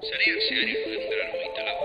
Sarean zehar irudengran hogeita lau.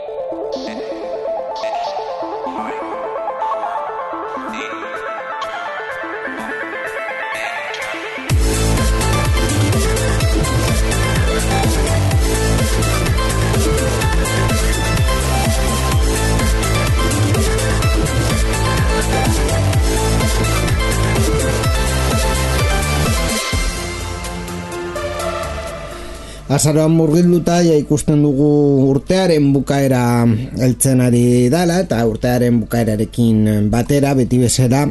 Azaroan murgilduta ja ikusten dugu urtearen bukaera heltzen ari dala, eta urtearen bukaerarekin batera beti bezala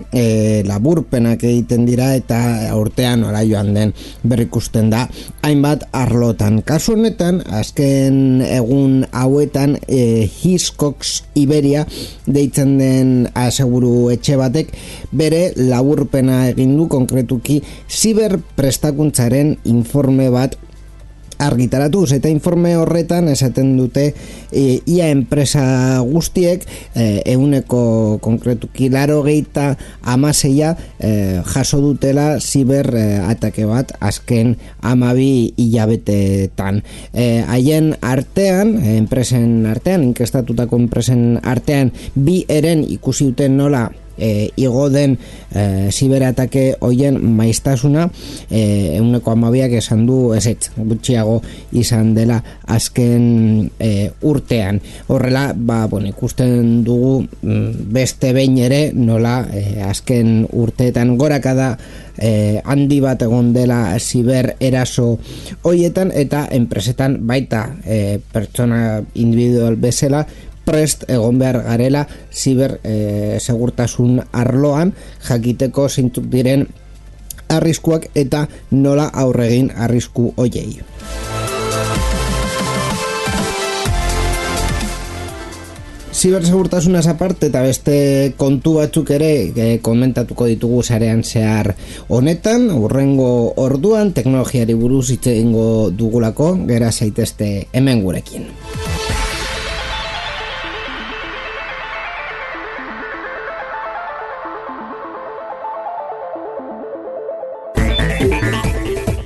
laburpenak egiten dira eta urtean nola joan den berrikusten da hainbat arlotan. Kasu honetan, azken egun hauetan Hiscox Iberia deitzen den aseguru etxe batek bere laburpena egin du, konkretuki ziberprestakuntzaren informe bat argitaratuz, eta informe horretan esaten dute ia enpresa guztiek ehuneko konkretuki 86 jaso dutela ziber atake bat azken 12 hilabetetan. Haien artean, enpresen artean, inkestatutako enpresen artean, bi eren ikusi duten nola igo den ziberatake hoien maiztasuna, 12 esan du ezetz, gutxiago izan dela azken urtean. Horrela, ikusten dugu beste behin ere nola azken urteetan gorakada handi bat egon dela ziber eraso hoietan, eta enpresetan baita pertsona individual bezala prest egon behar garela ziber segurtasun arloan, jakiteko zeintzuk diren arriskuak eta nola aurregin arrisku hoiei. Zibersegurtasunaz aparte eta beste kontu batzuk ere komentatuko ditugu sarean zehar honetan. Hurrengo orduan teknologiari buruz hitz egingo dugulako, gera zaitezte hemen gurekin.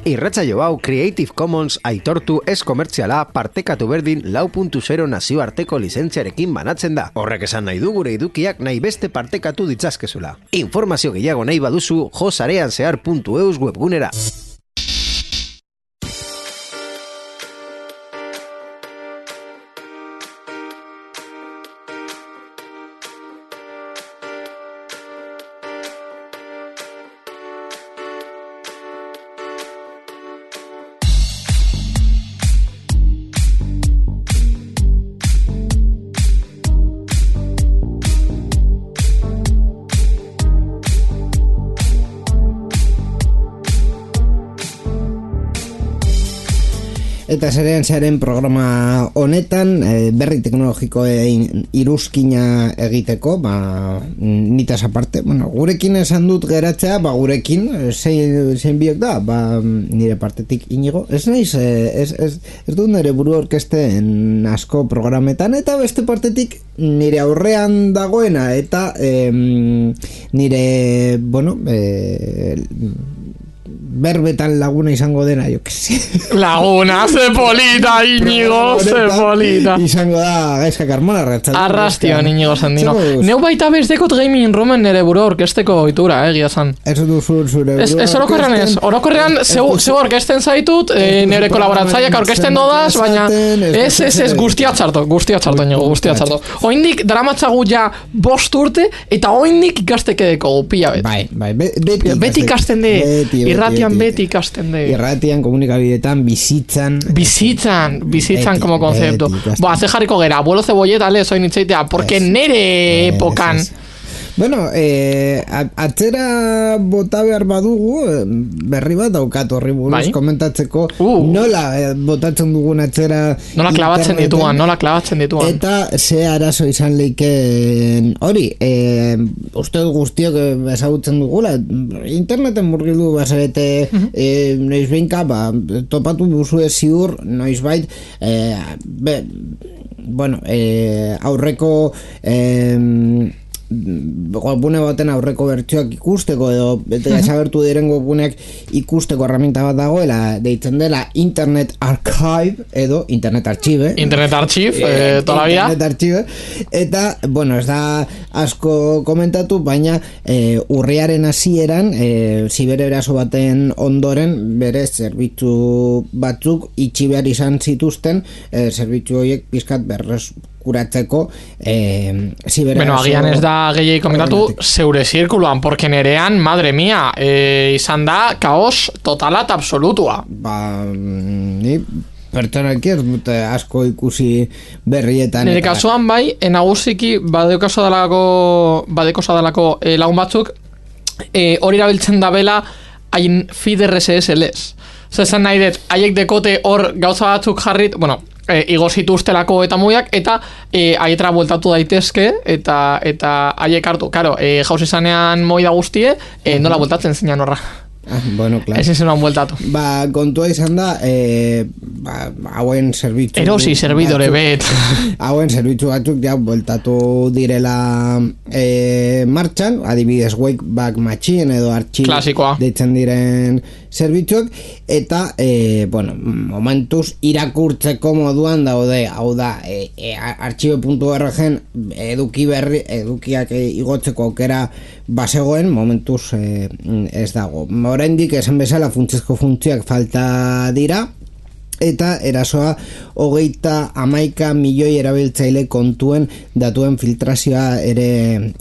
Irratsaio hau Creative Commons aitortu ez komertziala partekatu berdin 4.0 nazioarteko lizentziarekin banatzen da. Horrek esan nahi du gure edukiak nahi beste partekatu ditzazkezula. Informazio gehiago nahi baduzu josareanzehar.eus webgunera. Eta zaren programa honetan berri teknologikoen iruzkina egiteko, nitaz aparte, gurekin esan dut geratzea, gurekin zein biok da, nire partetik Inigo, ez dut nire buru orkesten asko programetan, eta beste partetik nire aurrean dagoena, eta nire, berbetan laguna izango dena, jo que sé. Laguna, ze polita, Inigo, ze polita. Izango da, Gaizka Carmona, Arrastio, Inigo Sandino. Neu baita bezdekot gaming romen nere buru orkesteko oitura, egia zan. Ez duzu zure buru. Ez orokorrean ez. Orokorrean zeu orkesten zaitut, nere kolaboratzaiak orkesten dodaz, baina ez guztia txarto, Inigo, guztia txarto. Oindik dramatzagu ja 5 urte, eta oindik ikastekedeko pila bet. Bai, beti ikasten de, irratian beti ikasten de. Irratian, komunikabideetan, bizitzan, como concepto. Ze jarriko gera, abuelo cebolleta lez oin itzaitea, porque nere epokan. Bueno, atzera bota behar badugu, berri bat daukat horri buruz komentatzeko, nola botatzen dugun atzera nola klabatzen dituan. Eta ze arazo izan leiken hori, uste guztiok ezagutzen dugula, interneten murgildu bazarete noizbeinka, topatu duzue ziur, noizbait, aurreko webgune baten aurreko bertsioak ikusteko edo desagertu diren webguneak ikusteko herramienta bat dagoela, deitzen dela Internet Archive edo Internet Archive. Internet Archive, toda la vida. Internet Archive. Eta, bueno, ez da asko komentatu, baina urriaren hasieran zibereraso baten ondoren bere zerbitzu batzuk itxi behar izan zituzten, zerbitzu horiek pizkat berreskuratzeko zibereraso. Bueno, agian ez da gehiagik komentatu zeure zirkuluan, porque nerean, madre mia, izan da kaos totala eta absolutua. Ni pertsonaki ez dute asko ikusi berrietan. Nire kasuan bai, nagusiki badekosa dalako lagun batzuk hori erabiltzen dabela hain feed RSS lez. Zezan nahi dut, haiek dekote hor gauza batzuk jarrit, bueno, igo zituztelako eta muiak, eta haietara bueltatu daitezke, eta haiek hartu, karo, jauz izanean moida guztie, nola bueltatzen zinean horra. Bueno, claro. Ezin zenuen bueltatu. Kontua izan da, hauen zerbitzu... Erosi zerbidore bet. Hauen zerbitzu batzuk ja bueltatu direla martxan, adibidez Wayback Machine edo Archive deitzen diren zerbitzuak, eta, bueno, momentuz irakurtzeko moduan daude, hau da, archive.org edukiak igotzeko aukera basegoen, momentuz ez dago. Oraindik esan bezala funtsezko funtzioak falta dira, eta erasoa 31 milioi erabiltzaile kontuen datuen filtrazioa ere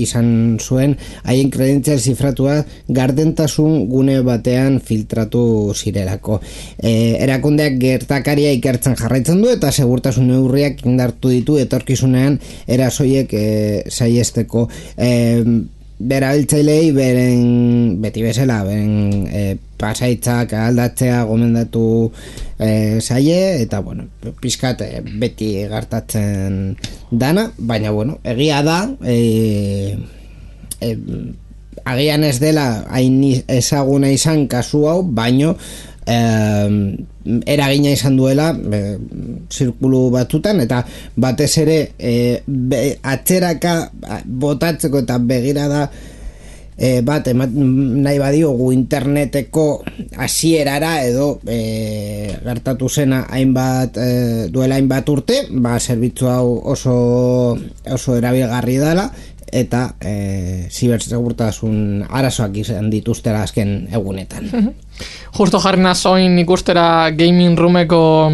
izan zuen, haien kredentzial zifratua gardentasun gune batean filtratu zirelako. Erakundeak gertakaria ikertzen jarraitzen du eta segurtasun neurriak indartu ditu etorkizunean erasoiek saihesteko. Berabiltzailei beti bezala pasaitzak aldatzea gomendatu zaie, eta bueno, pizkat beti gertatzen dana, baina bueno, egia da agian ez dela hain ezaguna izan kasu hau, baino eragina izan duela zirkulu batzutan, eta batez ere atzeraka botatzeko eta begirada bat nahi badiogu interneteko hasierara edo gertatu zena duela hainbat urte, zerbitzu hau oso erabilgarri dela, eta zibersegurtasun arazoak izan dituztera azken egunetan. Justo jarri nazoin ikustera gaming roomeko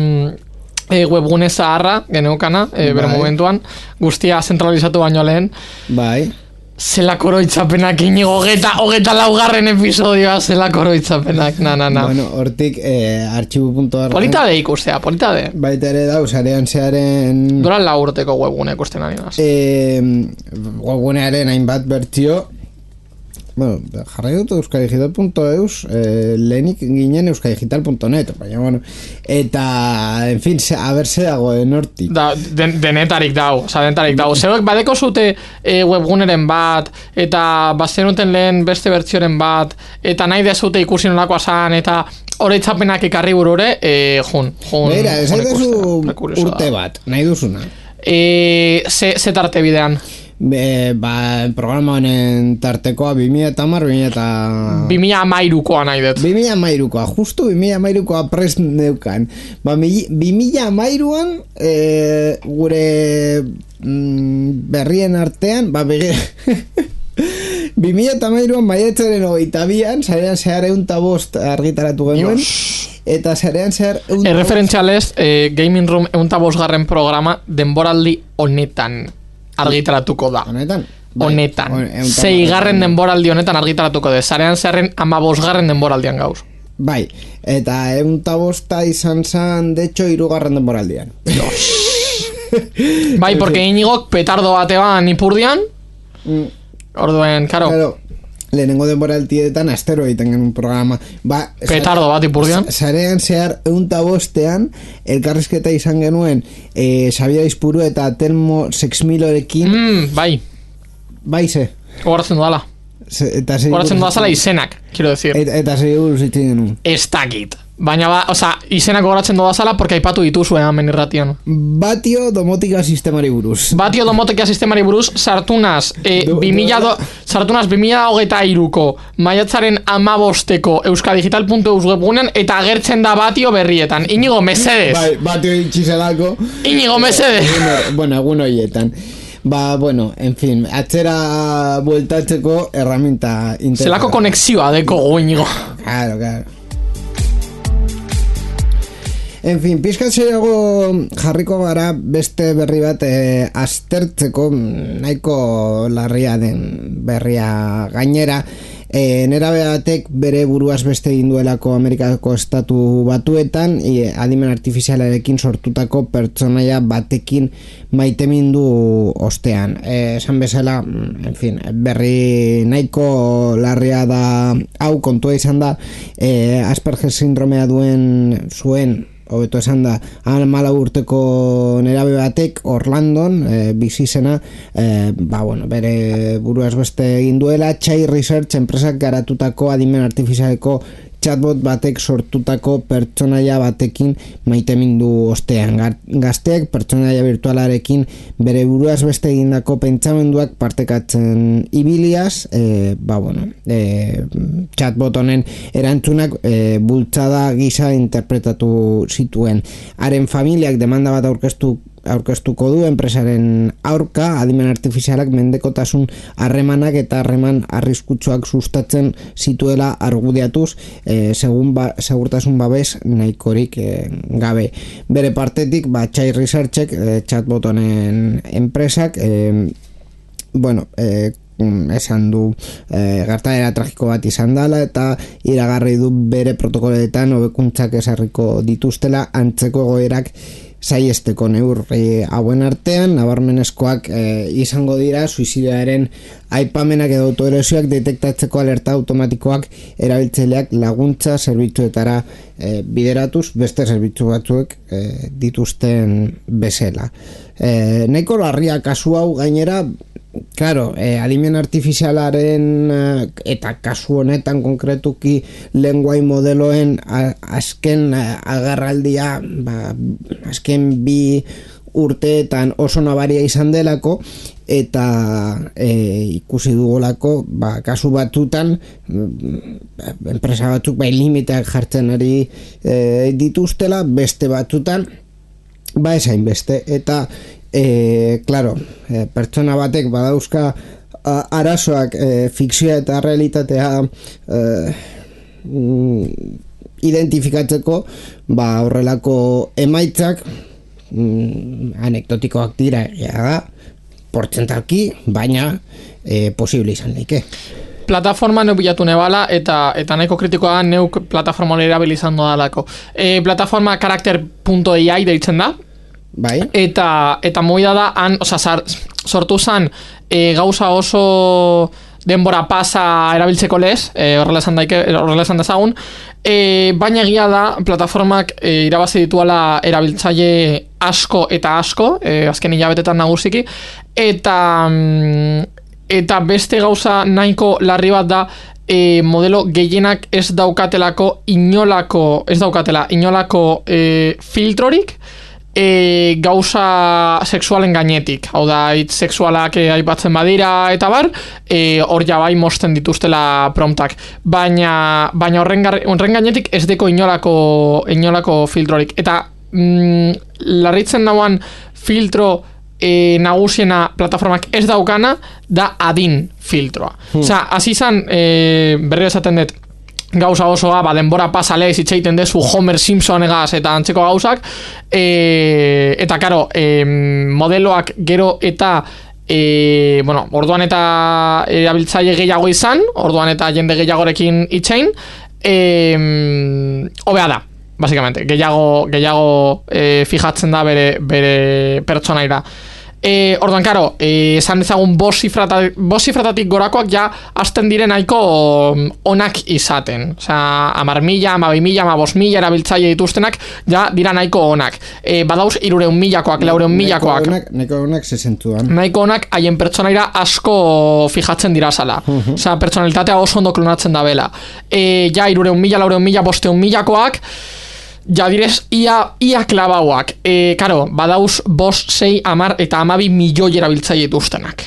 webgune zaharra geneukana, bere momentuan, guztia zentralizatu baino lehen. Bai. Zelako oroitzapenak inigo, hogeta laugarren episodioa zelako oroitzapenak, na. Bueno, hortik archivo.org polita de ikustea, polita de. Baita ere da, usarean zearen... Dura la urteko webgune ikusten ari naz. Webgunearen hainbat bertzio, bueno, jarrai dut euskadigital.eus, lehenik ginen euskadigital.net, baina, bueno, eta, en fin, aberse dagoen hortik. Denetarik dau. Zeuek badeko zute webguneren bat, eta bazenuten lehen beste bertzioren bat, eta nahi dezute ikusi nolakoa zan, eta oroitzapenak ekarri burure, jun. Beira, ez duzu urte bat, nahi duzuna. Ze tarte bidean? Programa honen tartekoa 2013koa nahi dut. 2013koa, justu 2013koa prest neukan. 2013an gure berrien artean 2013an maiatzaren 22an sarean zehar 105 argitaratu genuen. Eta zarean zehar... Erreferentzialez, Gaming Room 105 programa denboraldi honetan argitaratuko da. Honetan. 6. denboraldi honetan argitaratuko da. Zarean zeharren 15. denboraldian gauz. Bai, eta 105 izan zan, de hecho, 3. denboraldian. Bai, porque Iñigok petardo batean ipurdian, orduen, karo. Lehenengo denboraldietan astero egiten genuen programa. Petardo bat ipurdian. Zarean zehar 105an elkarrizketa izan genuen Xabier Aizpuru eta Telmo 6000-ekin. Bai. Bai, ze. Horatzen dudala. Horatzen dudazala izenak, quiero decir. Eta segur zitzen genuen. Ez dakit. Baina, izenak gogoratzen doda zala, porque aipatu dituzue hemen irratian. Batio domotika sistemari buruz. Batio domotika sistemari buruz, sartunaz 2023ko maiatzaren 15ko euskadigital.eus webgunean, eta agertzen da Batio berrietan. Inigo, mesedez. Bai, Batio itxizelako. Inigo, mesedez. Bueno, egun horietan. Bueno, en fin, atzera bueltatzeko herramienta interesgarria. Zelako konexioa deko Inigo. Claro. En fin, pizkatzerago jarriko gara beste berri bat aztertzeko, nahiko larria den berria gainera. Nerabe batek bere buruaz beste egin duelako Amerikako estatu batuetan, adimen artifizialarekin sortutako pertsonaia batekin maitemindu ostean. Esan bezala, en fin, berri nahiko larria da, hau kontua izan da, Asperger sindromea zuen, hobeto esan da, 14 urteko nerabe batek Orlandon bizi zena, bere buruaz beste egin duela, Chai Research enpresak garatutako adimen artifizialeko chatbot batek sortutako pertsonaia batekin maitemindu ostean. Gazteek pertsonaia virtualarekin bere buruaz beste egindako pentsamenduak partekatzen ibiliaz, chatbot honen erantzunak bultzada gisa interpretatu zituen. Haren familiak demanda bat aurkeztuko du enpresaren aurka, adimen artifizialak mendekotasun harremanak eta harreman arriskutsuak sustatzen zituela argudiatuz, segurtasun babes nahikorik gabe. Bere partetik, Chai Researchek, chatbot honen enpresak, esan du gertaera tragiko bat izan dela eta iragarri du bere protokoloetan hobekuntzak ezarriko dituztela antzeko egoerak saiesteko. Neurri hauen artean nabarmenezkoak izango dira suizidioaren aipamenak edo autoerosioak detektatzeko alerta automatikoak erabiltzaileak laguntza zerbitzuetara bideratuz beste zerbitzu batzuek dituzten bezala. Nahiko larria kasu hau gainera. Claro, adimen artifizialaren eta kasu honetan konkretuki lenguai modeloen azken agerraldia, azken 2 urteetan oso nabaria izan delako, eta ikusi dugolako kasu batutan enpresa batzuk limiteak jartzen ari dituztela, beste batutan esain beste, eta claro, pertsona batek badauzka arazoak fikzioa eta realitatea identifikatzeko, horrelako emaitzak anekdotikoak dira, portzentalki, baina posible izan leike. Plataforma neu bilatu nebala eta nahiko kritikoa neuk plataforma hori erabilizan dodalako. Plataforma karakter.ai deitzen da. Bai. Eta moida da, sortu zan gauza oso denbora pasa erabiltzeko lez, horrela esan dezagun, baina egia da plataformak irabazi dituala erabiltzaile asko eta asko, azken hilabetetan nagusiki, eta beste gauza nahiko larri bat da, modelo gehienak ez daukatela inolako filtrorik, gauza sexualen gainetik, hau da, hitz sexualak aipatzen badira eta bar, hor bai mosten dituztela promptak, baina horren gainetik ez deko inolako filtrorik, eta larritzen dauan filtro nagusiena plataformak ez daukana da adin filtroa. Osea, hasi izan, berri esaten dut, gauza osoa, denbora pasale zitzeiten dezu Homer Simpsonegaz eta antzeko gauzak, eta karo, modeloak gero eta orduan eta erabiltzaile gehiago izan, orduan eta jende gehiagorekin itxein, hobea da, basikamente, gehiago fijatzen da bere pertsonaira. Orduan, karo, esan dezagun bost zifratatik gorakoak ja hasten diren nahiko onak izaten. Osea, 10.000, 12.000, 15.000 erabiltzaile dituztenak ja dira nahiko onak. Badauz 300.000koak, 400.000koak. Nahiko onak sesentuan. Nahiko onak haien pertsonaira asko fijatzen dira zala. Osea, pertsonalitatea oso ondo klonatzen da bela. Ja 300.000, 400.000, 500.000koak ja direz ia klabauak. Karo, badauz 5, 6, 10 eta 12 milioi erabiltzaile dituztenak.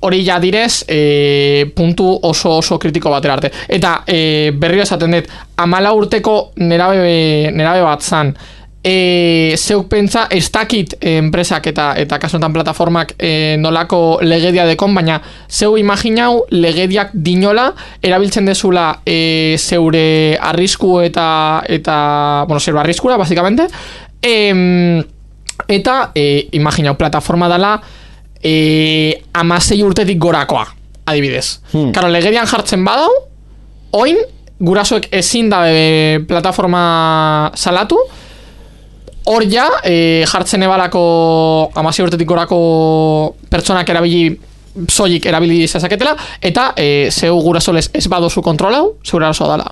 Hori ja direz puntu oso kritiko batera arte. Eta berriro esaten dut, 14 urteko nerabe bat zan. Zeuk pentsa ez dakit enpresak eta kasunetan plataformak nolako legedia dekon, baina zeu imaginau legediak dinola erabiltzen dezula zeure arrisku eta zeure arriskura basikamente, eta imaginau plataforma dela 16 urtetik gorakoa adibidez. Karo, legedian jartzen badau, oin gurasoek ezin da plataforma salatu. Hor ja, jartzen ebalako 16 urtetik gorako pertsonak soilik erabili zezaketela, eta zeu gurasoles ez badozu kontrolau, zeure arazoa dala.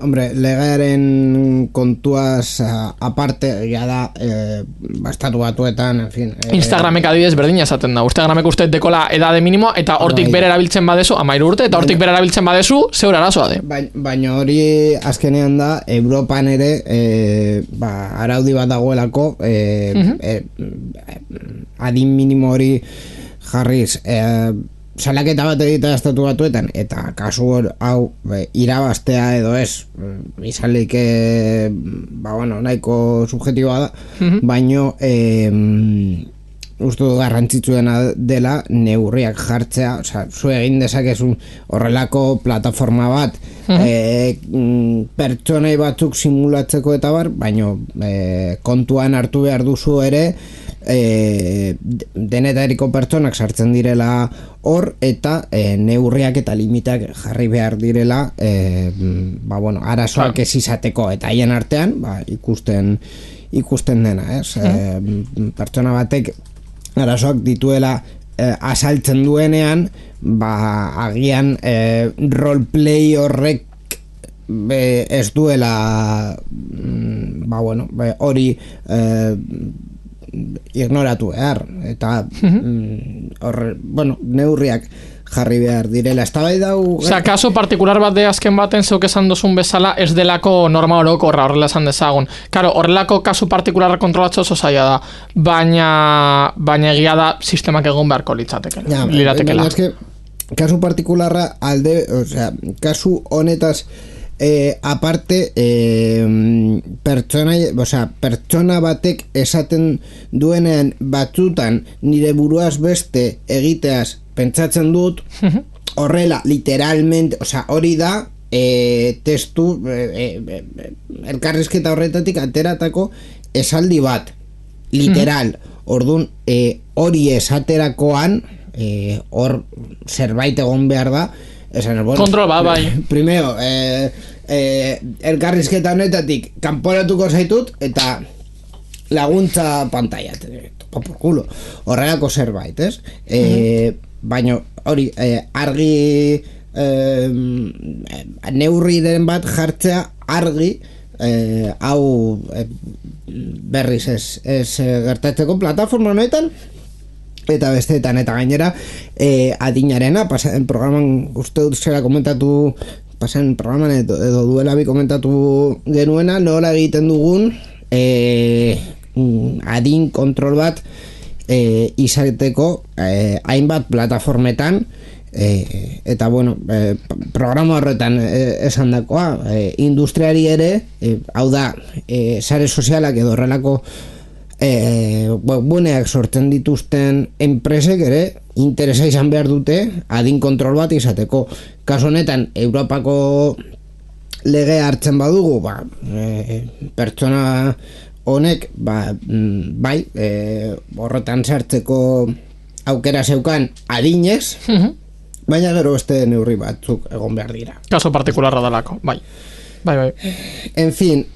Hombre, legearen kontuaz aparte, ja da, estatu batuetan, en fin. Instagramek adibidez berdina esaten da. Instagramek uste dekola edade minimoa, eta hortik bere erabiltzen badezu, 13 urte, eta hortik bere erabiltzen badezu, zeure arazoa de. Baina hori azkenean da, Europan ere, araudi bat dagoelako, adin minimo hori jarriz, salaketa bat egitea estatu batuetan, eta kasu hau irabaztea edo ez, izalik nahiko subjetiboa da, baino uste du garrantzitsuena dela neurriak jartzea, osea, zu egin dezakezun horrelako plataforma bat pertsonai batzuk simulatzeko eta bar, baino kontuan hartu behar duzu ere denetariko pertsonak sartzen direla hor, eta neurriak eta limitak jarri behar direla arazoak ez izateko, eta haien artean ikusten dena, ez? Pertsona batek arazoak dituela asaltzen duenean, agian roleplay horrek ez duela hori ignoratu behar, eta neurriak jarri behar direla. Osea, kaso partikular bat de azken baten zeuk esan dozun bezala ez delako norma orokorra, horrela esan dezagun. Karo, horrelako kasu partikularra kontrolatzo oso zaila da, baina egia da sistemak egon beharko liratekela. Baina eske, kasu partikularra kasu honetaz aparte pertsona batek esaten duenean batzutan nire buruaz beste egiteaz pentsatzen dut, horrela literalmente, hori da testu elkarrizketa horretatik ateratako esaldi bat literal. Orduan hori esaterakoan hor zerbait egon behar da, kontrol bat, bai. Primero, elkarrizketa honetatik kanporatuko zaitut eta laguntza pantalla por culo, horrelako zerbait, ez? Baina hori argi neurri den bat jartzea argi hau berriz ez gertatzeko plataforma honetan eta besteetan, eta gainera adinarena, pasen programan uste dut zera komentatu, pasen programan edo duela bi komentatu genuena, nola egiten dugun adin kontrol bat izateko hainbat plataformetan, eta programa horretan esan dakoa, industriari ere, hau da, sare sozialak edo horrelako webguneak sortzen dituzten enpresek ere interesa izan behar dute adin kontrol bat izateko. Kasu honetan Europako lege hartzen badugu, pertsona honek horretan sartzeko aukera zeukan adinez, baina gero beste neurri batzuk egon behar dira. Kaso partikularra dalako, bai. En fin,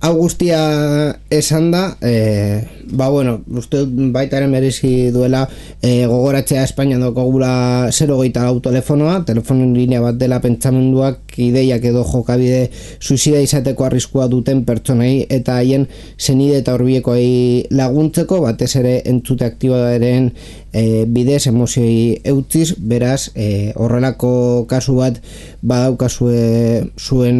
hau guztia esan da, bueno, uste baitaren merezi duela gogoratzea Espainian daukagula 024 telefonoa, telefono linea bat dela pentsamenduak, ideiak edo jokabide suizida izateko arriskua duten pertsonei eta haien senide eta horbiekoei laguntzeko, batez ere entzute aktiboaren bidez emozioi eutziz, beraz horrelako kasu bat badaukazue zuen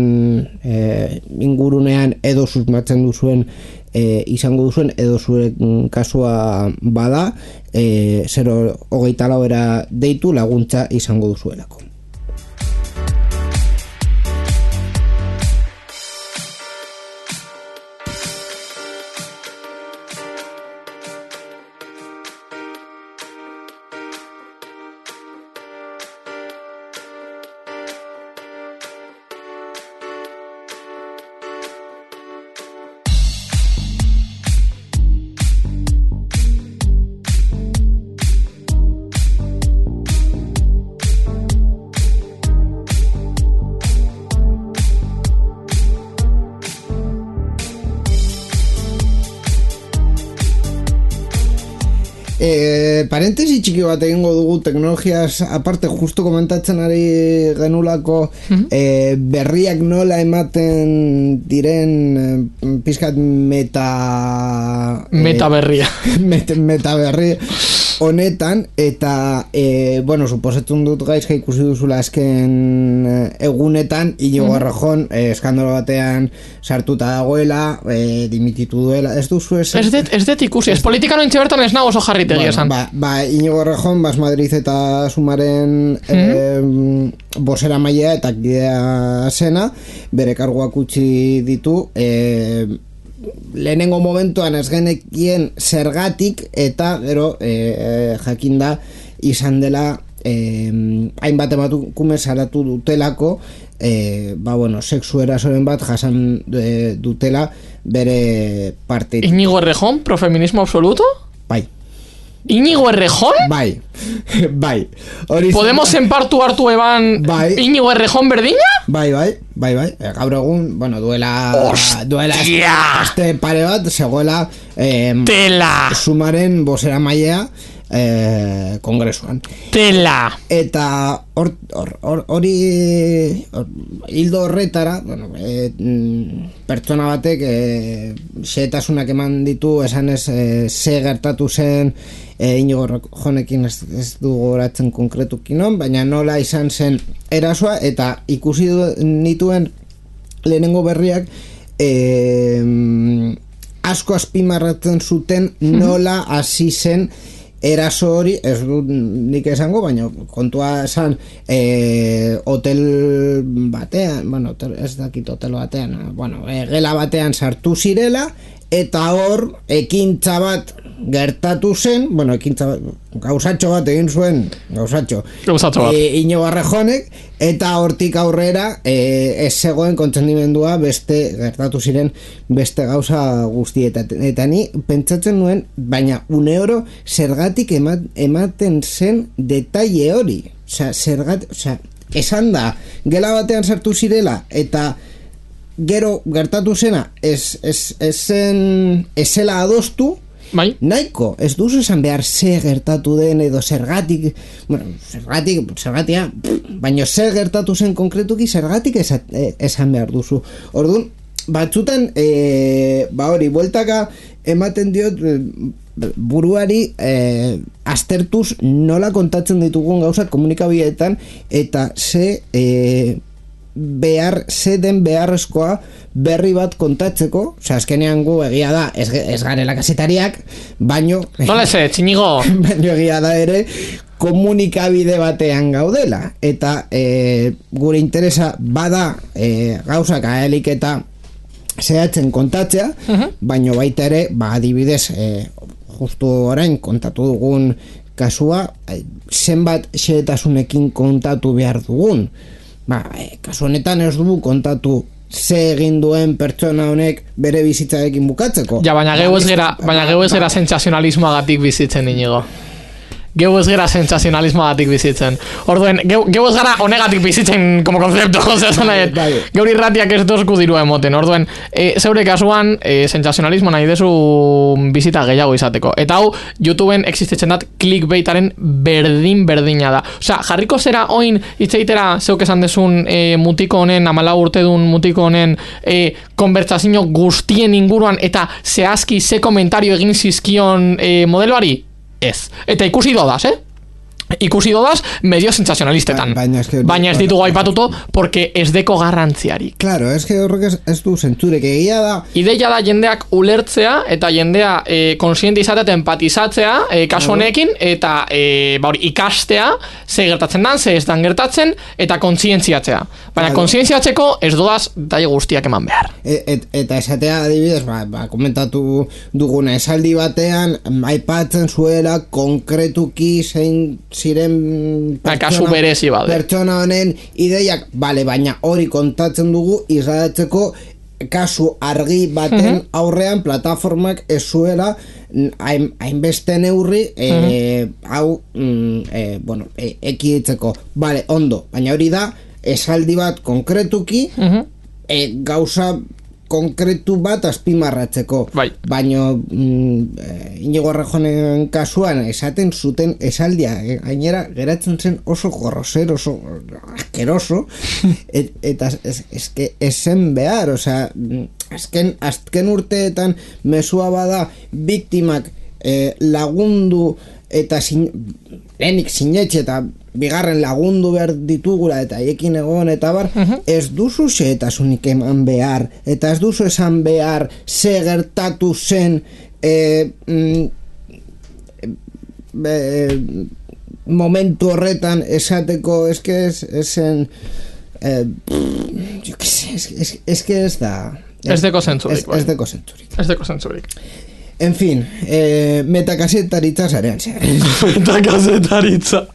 ingurunean edo susmatzen duzuen izango duzuen edo zuen kasua bada 024 deitu laguntza izango duzuelako. Parentesi txiki bat egingo dugu teknologiaz aparte, justo komentatzen ari genulako berriak nola ematen diren pizkat meta berria meta berri honetan, eta bueno, suposatzen dut gaizka ikusi duzula azken egunetan Iñigo Errejón eskandalo batean sartuta dagoela, dimititu duela, ez duzu ez dut ikusi, ez politika nointxe bertan ez nago oso jarritegi esan. Iñigo Errejón, Bas Madrid eta Sumaren bosera mailea eta kidea zena, bere karguak utzi ditu, lehenengo momentuan ez genekien zergatik, eta gero jakinda izan dela hainbat emakume saratu dutelako, bueno, sexu erasoren bat jasan dutela bere partetik. Iñigo Errejón, profeminismo absoluto? Bai. Iñigo Errejón? Bai. Podemos enpartu hartu eban Iñigo Errejón berdina? Bai. Gaur egun, bueno, duela este pare bat, zegoela tela Sumaren bosera mailea kongresuan. Tela. Eta hori hildo horretara, bueno, pertsona batek xehetasunak eman ditu, esan ez ze gertatu zen Iñigo Errejonekin, ez du goratzen konkretuki non, baina nola izan zen erasoa, eta ikusi nituen lehenengo berriak asko azpimarratzen zuten nola hasi zen eraso hori, ez dut nik esango, baina kontua esan hotel batean, bueno, ez dakit hotel batean, bueno, gela batean sartu zirela, eta hor ekintza bat gertatu zen, bueno, ekintza bat, gauzatxo bat egin zuen, gauzatxo bat Iñigo Errejonek, eta hortik aurrera ez zegoen kontzendimendua beste gertatu ziren beste gauza guztietan, eta ni pentsatzen nuen, baina une oro zergatik ematen zen detaile hori, esan da gela batean sartu zirela, eta gero gertatu zena ez zela adostu, bai. Nahiko, ez duzu esan behar ze gertatu den edo zergatik, bueno, zergatia, baina zer gertatu zen konkretuki zergatik esan behar duzu. Orduan, batzutan, hori, bueltaka ematen diot buruari aztertuz nola kontatzen ditugun gauzak komunikabideetan, eta ze den beharrezkoa berri bat kontatzeko, azkenean gu egia da, ez garela kazetariak, baino nola ez, Iñigo baino egia da ere komunikabide batean gaudela, eta gure interesa bada gauzak ahelik eta zehatzen kontatzea, baino baita ere, adibidez, justu orain kontatu dugun kasua, zenbat xehetasunekin kontatu behar dugun. Kasu honetan ez dugu kontatu ze egin duen pertsona honek bere bizitzarekin bukatzeko. Ja, baina geu ez gera sentsazionalismoagatik bizitzen, Iñigo. geu ez gara sensazionalismoatik bizitzen. Orduen, geu ez gara honegatik bizitzen como konzeptu, geur irratiak ez dozku dirua emoten. Orduen, zeure kasuan, sensazionalismo nahi dezu bizita gehiago izateko. Eta hau, YouTubeen existitzen dat clickbaitaren berdina da. Osea, jarriko zera oin itzeitera zeuk esan dezun mutiko honen, 14 urte dun mutiko honen konbertsazio guztien inguruan eta zehazki ze komentario egin zizkion modeloari? Ez. Eta ikusi dodaz, ikusi dodaz medio sensazionalistetan. Baina ez ditugu aipatuto porque ez deko garrantziari. Claro, es que horrek ez du zentzurek egia da. Ideia da jendeak ulertzea eta jendea konsiente izatea eta empatizatzea kasu honekin eta ikastea ze gertatzen dan, ze ez dan gertatzen eta kontzientziatzea. Baina kontzientziatzeko ez dodaz daia guztiak eman behar. Eta esatea adibidez, komentatu duguna esaldi batean aipatzen zuela konkretuki zein ziren pertsona honen ideiak, baina hori kontatzen dugu isladatzeko kasu argi baten aurrean plataformak ez zuela hainbeste neurri hau ekiditzeko. Ondo, baina hori da esaldi bat konkretuki gauza konkretu bat azpimarratzeko. Baina Inigo Errejonen kasuan esaten zuten esaldia gainera geratzen zen oso grosero, oso askeroso eta esen behar, osea azken urteetan mesua bada biktimak lagundu eta lehenik sinetxe eta bigarren lagundu behar ditugula eta haiekin egon eta bar, ez duzu xehetasunik eman behar eta ez duzu esan behar ze gertatu zen momentu horretan esateko esen ez que ez da ez deko zentzurik ez deko zentzurik. En fin, metakazetaritza zarean metakazetaritza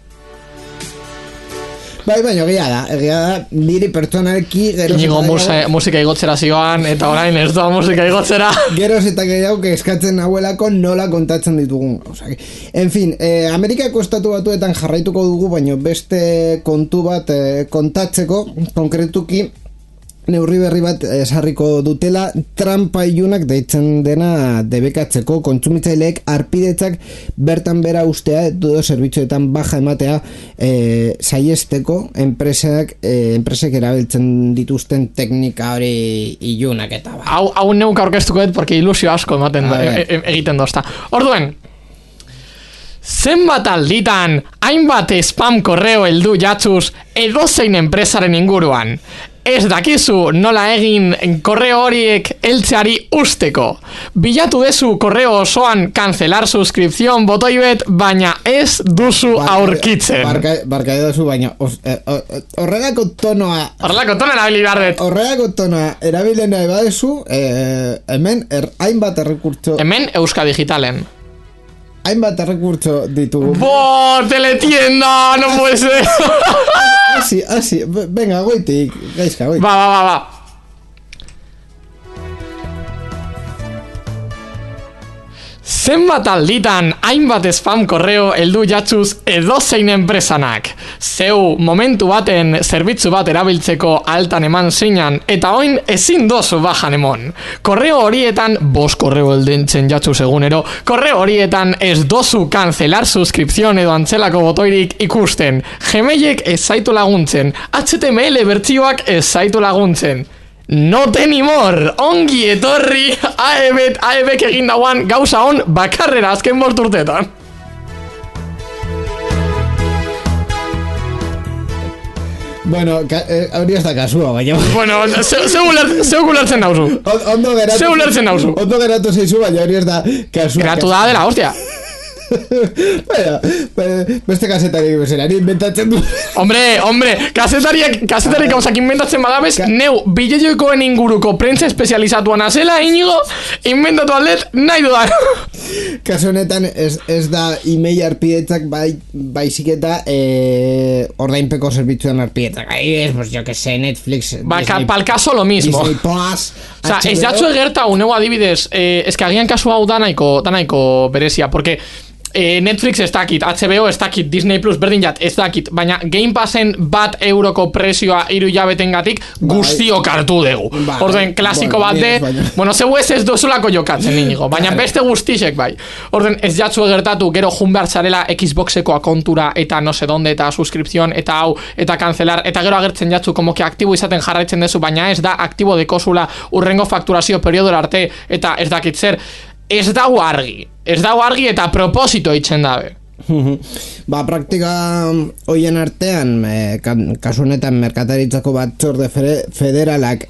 baina egia da niri pertsonalki Inigo musika igotzera zioan eta orain ez da musika igotzera geroz eta gehiago eskatzen hauelako nola kontatzen ditugun. En fin, Amerikako estatu batuetan jarraituko dugu, baina beste kontu bat kontatzeko konkretuki neurri berri bat esarriko dutela trampa ilunak deitzen dena debekatzeko kontsumitzaileek harpidetzak bertan bera ustea edo zerbitzuetan baja ematea saiesteko enpresek erabiltzen dituzten teknika hori ilunak eta ba. Hau neuk aurkeztuko dut porque ilusio asko egiten dozta. Orduen, zenbat alditan hainbat spam korreo heldu jatzuz edozein enpresaren inguruan. Ez dakizu nola egin korreo horiek heltzeari usteko. Bilatu dezu korreo osoan cancelar suscripción botoi bet, baina ez duzu aurkitzen. Barka edozu, baina horregako tonoa erabili behar dut. Horregako tonoa erabilen nahi badezu, hemen hainbat errekurtso. Hemen Euska Digitalen. Hainbat errekurtso ditugu. Teletienda, no puede ser. Así, venga, goitik, gaizka, goitik. Va. Zenbat alditan hainbat spam korreo heldu jatzuz edozein enpresanak. Zeu momentu baten zerbitzu bat erabiltzeko altan eman zeinan eta oin ezin dozu bajan emon. Korreo horietan 5 korreo heldentzen jatzuz egunero, korreo horietan ez dozu cancelar suscripción edo antzelako botoirik ikusten. Gmailek ez zaitu laguntzen, HTML bertsioak ez zaitu laguntzen. Not anymore, ongi etorri AEBek egin dauan gauza on bakarrera azken 5 urteetan. Bueno, hori ez da kasua, baina... Bueno, zeu gulertzen dauzu. Ondo geratu zeizu, baina hori ez da kasua. Geratu da dela, hostia. Beste kasetari bezerari inventatzen du. Hombre, kasetari gauzak inventatzen badabez, neu bideojokoen inguruko prentza espezializatuan azela, Inigo, inventatu aldet nahi dudan. Kasu honetan ez da email arpidetzak baizik eta ordainpeko zerbitzuan arpidetzak. Pues yo que sé, Netflix, Disney, pal caso lo mismo. Disney Plus, o sea, ez jatzu egerta uneu adibidez, eskagian kasu hau da nahiko berezia, porque Netflix ez dakit, HBO ez dakit, Disney Plus berdin jat ez dakit, baina Game Passen €1 prezioa 3 hilabetengatik guztiok hartu dugu. Orden, klasiko bat de, bueno, zeu ez dozulako jokatzen inigo, baina beste guztisek bai. Orden, ez jatzu egertatu, gero jun behar zarela Xboxeko akontura eta no se donde, eta suscripción, eta hau, eta cancelar, eta gero agertzen jatzu, como que aktibo izaten jarraitzen dezu, baina ez da aktibo dekosula urrengo fakturazio periodora arte, eta ez dakit zer, ez dago argi eta proposito itzen dabe. Ba, praktika hoien artean, kasu honetan merkataritzako batzorde federalak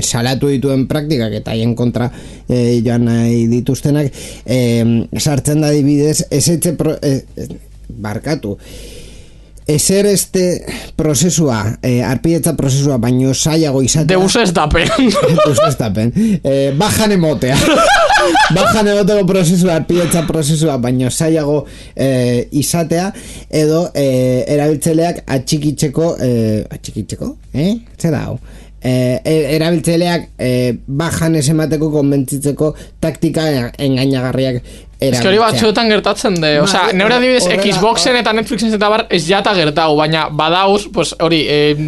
salatu dituen praktikak eta haien kontra joan nahi dituztenak, sartzen da dibidez, ezer prozesua, arpidetza prozesua, baino zailago izatea. Deus estapen. Bajan emotea. Bajan emoteko prozesua, arpidetza prozesua, baino zailago izatea, edo erabiltzaileak atxikitzeko, Zer hau? Erabiltzaileak bajan ez emateko konbentzitzeko taktika engainagarriak erabiltzea. Ez que hori batzuetan gertatzen de, osea, neure adibidez Xboxen eta Netflixen eta bar ez jata gertau, baina badauz, pues hori,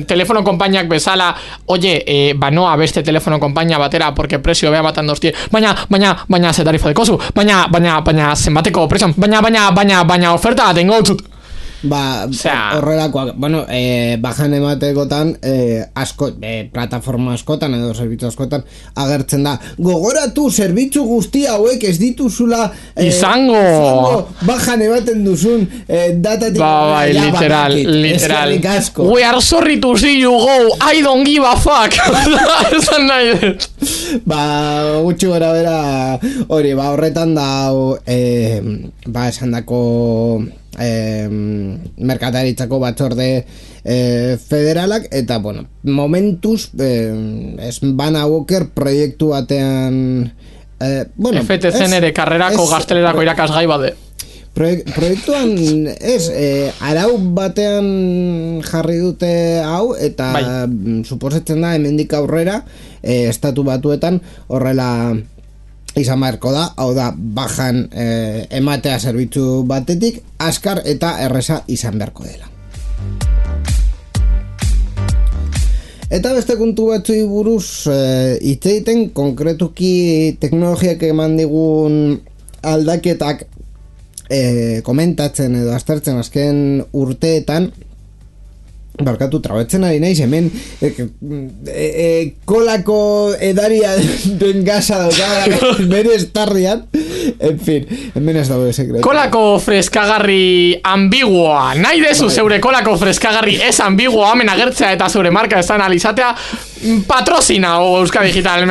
telefono konpainiak bezala, oye, banoa beste telefono konpainia batera, porque presio beha batan doztie, baina ze tarifa dekozu, baina zenbateko presio, baina oferta tengo txut. Horrelakoak, bueno, bajan ematekotan asko, plataforma askotan edo zerbitzu askotan agertzen da, gogoratu zerbitzu guzti hauek ez dituzula izango bajan ematen duzun datatik literal we are sorry to see you go, I don't give a fuck. Esan nahi gutxi gora bera hori, horretan da esan dako merkataritzako batzorde federalak, eta bueno, momentuz Bana Walker proiektu batean FTC ere karrerako gaztelerako irakasgai bade proiektuan arau batean jarri dute hau, eta suposatzen da hemendik aurrera estatu batuetan horrela izan beharko da, hau da, bajan ematea zerbitzu batetik, azkar eta erreza izan beharko dela. Eta beste kontu batzui buruz hitz egiten, konkretuki teknologiak eman digun aldaketak komentatzen edo aztertzen azken urteetan, barkatu, trabetzen ari naiz, hemen kolako edaria den gaza daukada bere estarrian, en fin, hemen ez dago sekretu. Kolako freskagarri ambiguoa, nahi dezu zeure kolako freskagarri ez ambiguoa hemen agertzea eta zeure marka ez analizatea, patrozina o Euskadi Digital,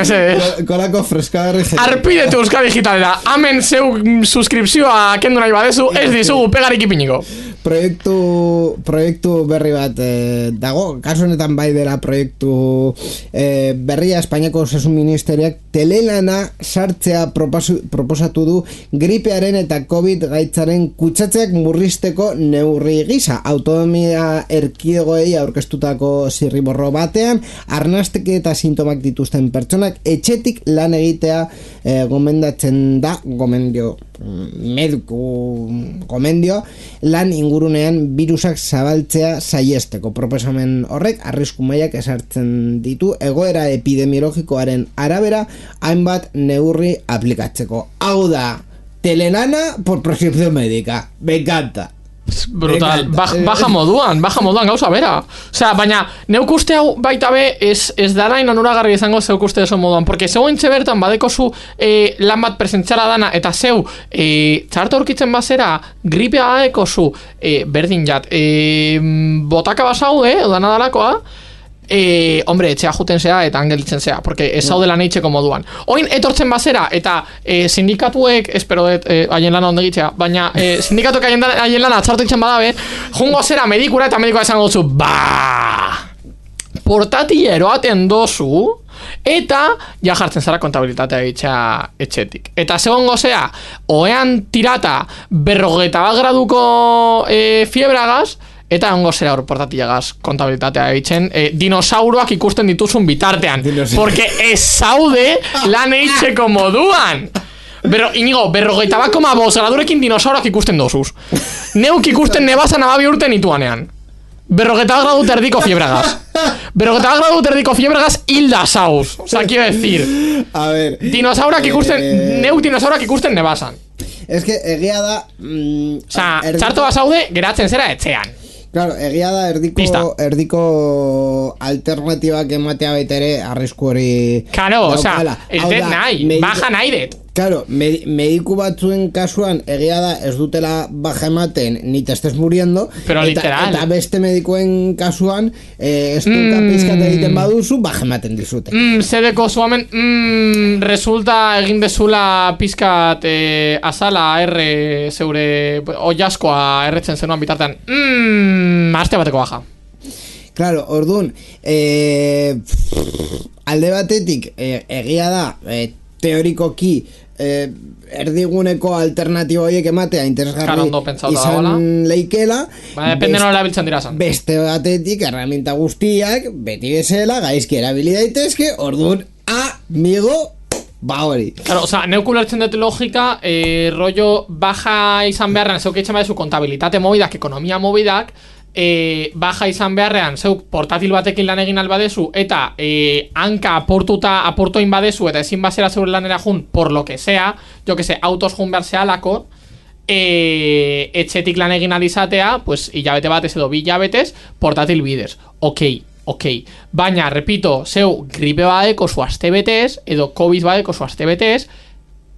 kolako freskagarri arpidetu Euskadi Digitalera, hemen zeu suskripzioa kendu nahi badezu, ez dizugu pegarik ipiniko. Proiektu berri bat dago, kasu honetan bai dela proiektu berria. Espainiako Osasun Ministeriak telelana sartzea proposatu du gripearen eta COVID gaitzaren kutsatzeak murrizteko neurri gisa. Autonomia erkidegoei aurkeztutako zirriborro batean, arnasteke eta sintomak dituzten pertsonak etxetik lan egitea gomendatzen da, gomendio lan ingurunean birusak zabaltzea saiesteko. Proposamen horrek arrisku mailak ezartzen ditu egoera epidemiologikoaren arabera hainbat neurri aplikatzeko. Hau da, telenana por prescripción médica. Me encanta. Brutal, baja moduan gauza bera. Osea, baina neuk uste hau baita be ez darain onuragarri izango zeuk uste ezo moduan, porque zeu entxe bertan badekozu lan bat presentziala dana, eta zeu txarto aurkitzen bazera gripea adekozu berdin jat botaka basaude, dana dalakoa, hombre, etxea juten zea eta angelitzen zea, porque ez zaudela neitxeko moduan. Oin etortzen bazera eta sindikatuek, espero dut haien lana ondegitzea, baina sindikatuek haien lana txartu itxen badabe, jungo zera medikura eta medikua esango duzu, portatila eroaten dozu, eta ja jartzen zara kontabilitatea itxea etxetik. Eta segongo zea, oean tirata 40 graduko fiebragaz, eta ongo zera hor portatilagaz kontabilitatea eitzen dinosauroak ikusten dituzun bitartean, porque ez zaude lan eitzeko moduan. Inigo, 41,5 gradurekin dinosaurak ikusten dozuz. Neuk ikusten nebasan 12 urte nituanean. 41 gradu erdiko fiebregaz. 41 gradu erdiko fiebregaz hilda sauz. O sea, quiero decir. A ver. Dinosaurak ikusten, neuk dinosaurak ikusten nebasan. Es que egia da... O sea, txarto basaude, geratzen zera etxean. Claro, egia da erdiko alternatibak ematea baitere arrisku hori... Claro, o sea, ez det nahi, baja nahi det. Claro, mediku batzuen kasuan egia da ez dutela baja ematen ni te estés muriendo. Pero literal. Eta beste medikuen kasuan ez duka pizkat egiten baduzu baja ematen dizute. Zedeko zuamen resulta egin dezula pizkat azala erre zeure oiaskoa erretzen zenuan bitartean. Aste bateko baja. Claro, orduan alde batetik egia da teorikoki erdiguneko alternatibo horiek ematea interesgarri izan leikela. Depende nola erabiltzen dira zan. Beste batetik herramienta guztiak beti bezala gaizki erabili daitezke, orduan amigo hori. Claro, o sea, neuk ulertzen dut logika, rollo baja izan beharrean zeuk eitzen badezu kontabilitate mobidak, ekonomia mobidak, baja izan beharrean zeuk portatil batekin lan egin albadezu eta hanka aportoin badezu eta ezin basera zeure lanera jun por lo que sea, jo que se, autos jun behar zehalako, etxetik lan egin alizatea, pues hilabete batez edo 2 hilabetez portatil bidez. Ok, baina, repito, zeu gripe badeko zu astebetez edo COVID badeko zu astebetez,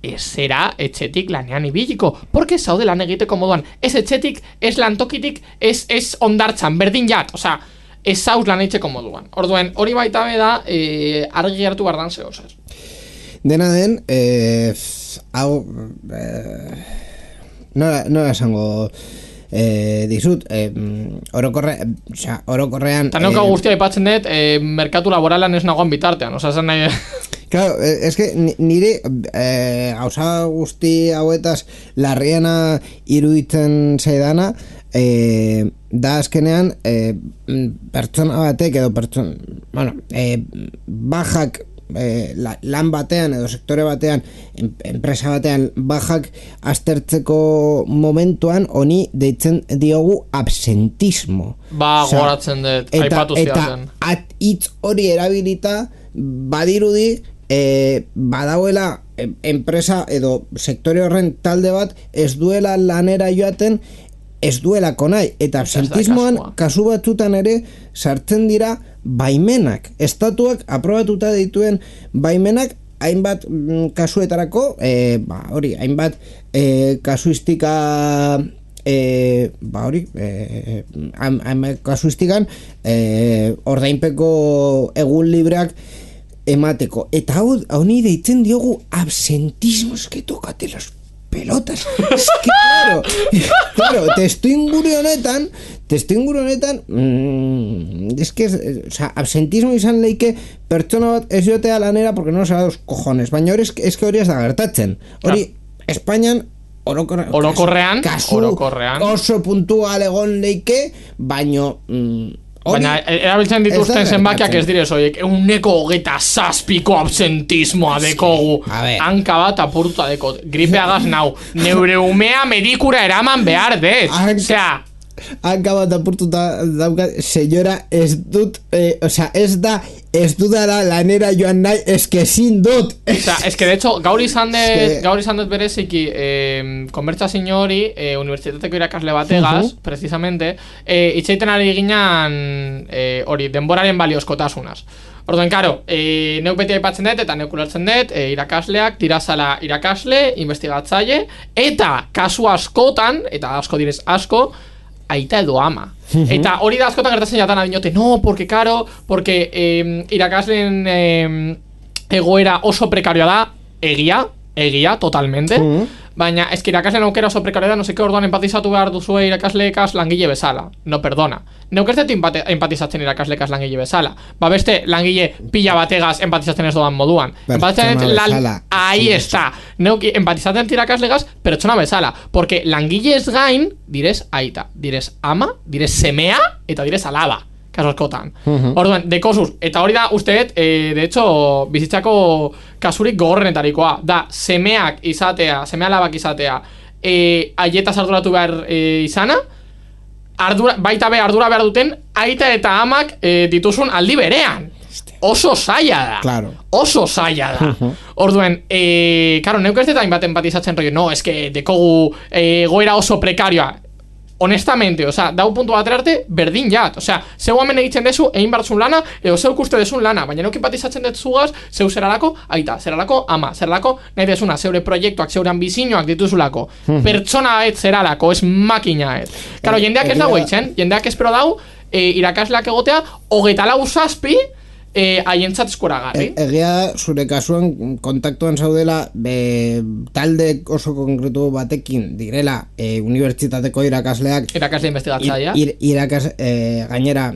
ez zera etxetik lanean ibiliko, porque zaude lan egiteko moduan, ez etxetik, ez lantokitik, ez ondartzan, berdin jat, osea, ez zauz lan egiteko moduan. Orduen, hori baita beda, argi gertu bardan zeo, zer. Dena den, hau, nola esango dizut, orokorrean... Eta neuka guztia ipatzen dut, merkatu laboralan ez nagoan bitartean, osea, zen nahi... Claro, es que nire gauza guzti hauetaz larriena iruditzen zaidana da azkenean pertsona batek edo bajak lan batean edo sektore batean enpresa batean bajak aztertzeko momentuan honi deitzen diogu absentismo. Goratzen dut, aipatu ziazen. Eta hitz hori erabilita badirudi badauela enpresa edo sektore horren talde bat ez duela lanera joaten ez duelako nahi, eta absentismoan kasu batzutan ere sartzen dira baimenak, estatuak aprobatuta dituen baimenak hainbat kasuetarako hainbat kasuistika kasuistikan ordainpeko egun libreak emateko, eta hau ni deitzen diogu absentismo, eske tokate las pelotas, eske claro, testu inguru honetan eske, o sea, absentismo izan leike pertsona bat ez jotea lanera porque no sabe dos cojones, baina hori eske hori ez da gertatzen, hori Espainian orokorrean oso puntual egon leike, baino baina erabiltzen dituzten zenbakiak ez direz horiek 127 absentismoa dekogu, hanka bat apurtuta dekot, gripeagaz nau, neure umea medikura eraman behar dez, osea hanka bat apurtuta daukat, senyora, ez dut ez dudala lanera joan nahi, eske ezin dut. Osea, eske de hecho, gaur izan dut bereziki konbertsazio hori unibertsitateko irakasle bategaz, precisamente, itxaiten ari ginean hori, denboraren baliozkotasunaz. Orduan, karo, neuk beti aipatzen dut eta neuk ulertzen dut, irakasleak tirazala irakasle, investigatzaile, eta kasu askotan, eta asko direz asko, aita edo ama. Eta hori da askotan gertatzen jatan adinote, no, porque irakasleen egoera oso prekarioa da, egia, totalmente, baina eski irakasleen aukera oso prekarioa da, no seke orduan empatizatu behar duzue irakasleekaz langile bezala. No, perdona. Neuk ez dut empatizatzen irakasleekaz langile bezala. Ba beste langile pila bategaz empatizatzen ez doan moduan. Empatizatzen ahí está. Neuk empatizatzen irakasleegaz pertsona bezala. Porque langile ez gain, direz aita, direz ama, direz semea, eta direz alaba. kaso askotan. Orduan, dekosuz, eta hori da, usteet, de hecho, bizitzako kasurik gogorrenetarikoa, da, semeak izatea, seme alabak izatea, aietaz arduratu behar izana, baita be ardura behar duten, aita eta amak dituzun aldi berean. Oso zaila da. Claro. Oso zaila da. Orduen, claro, neuk ez deta inbat empatizatzen rollo, no, es que dekogu goera oso prekarioa. Honestamente, o sea, dau puntu batera arte, berdin jat. O sea, zeu hemen egiten dezu, egin bartzun lana, edo zeu ikuste dezun lana, baina neuk empatizatzen detzugaz, zeu zeralako aita, zeralako ama, zeralako nahi dezuna, zeure proiektuak, zeure ambizinoak dituzulako. Pertsona et zeralako, ez makina et. Claro, jendeak ez dago eitzen, jendeak espero dau, irakasleak egotea, 24 zazpi, haientzat eskuragarri. Egia zure kasuan kontaktuan zaudela talde oso konkretu batekin direla unibertsitateko irakasleak irakasle investigatzaia gainera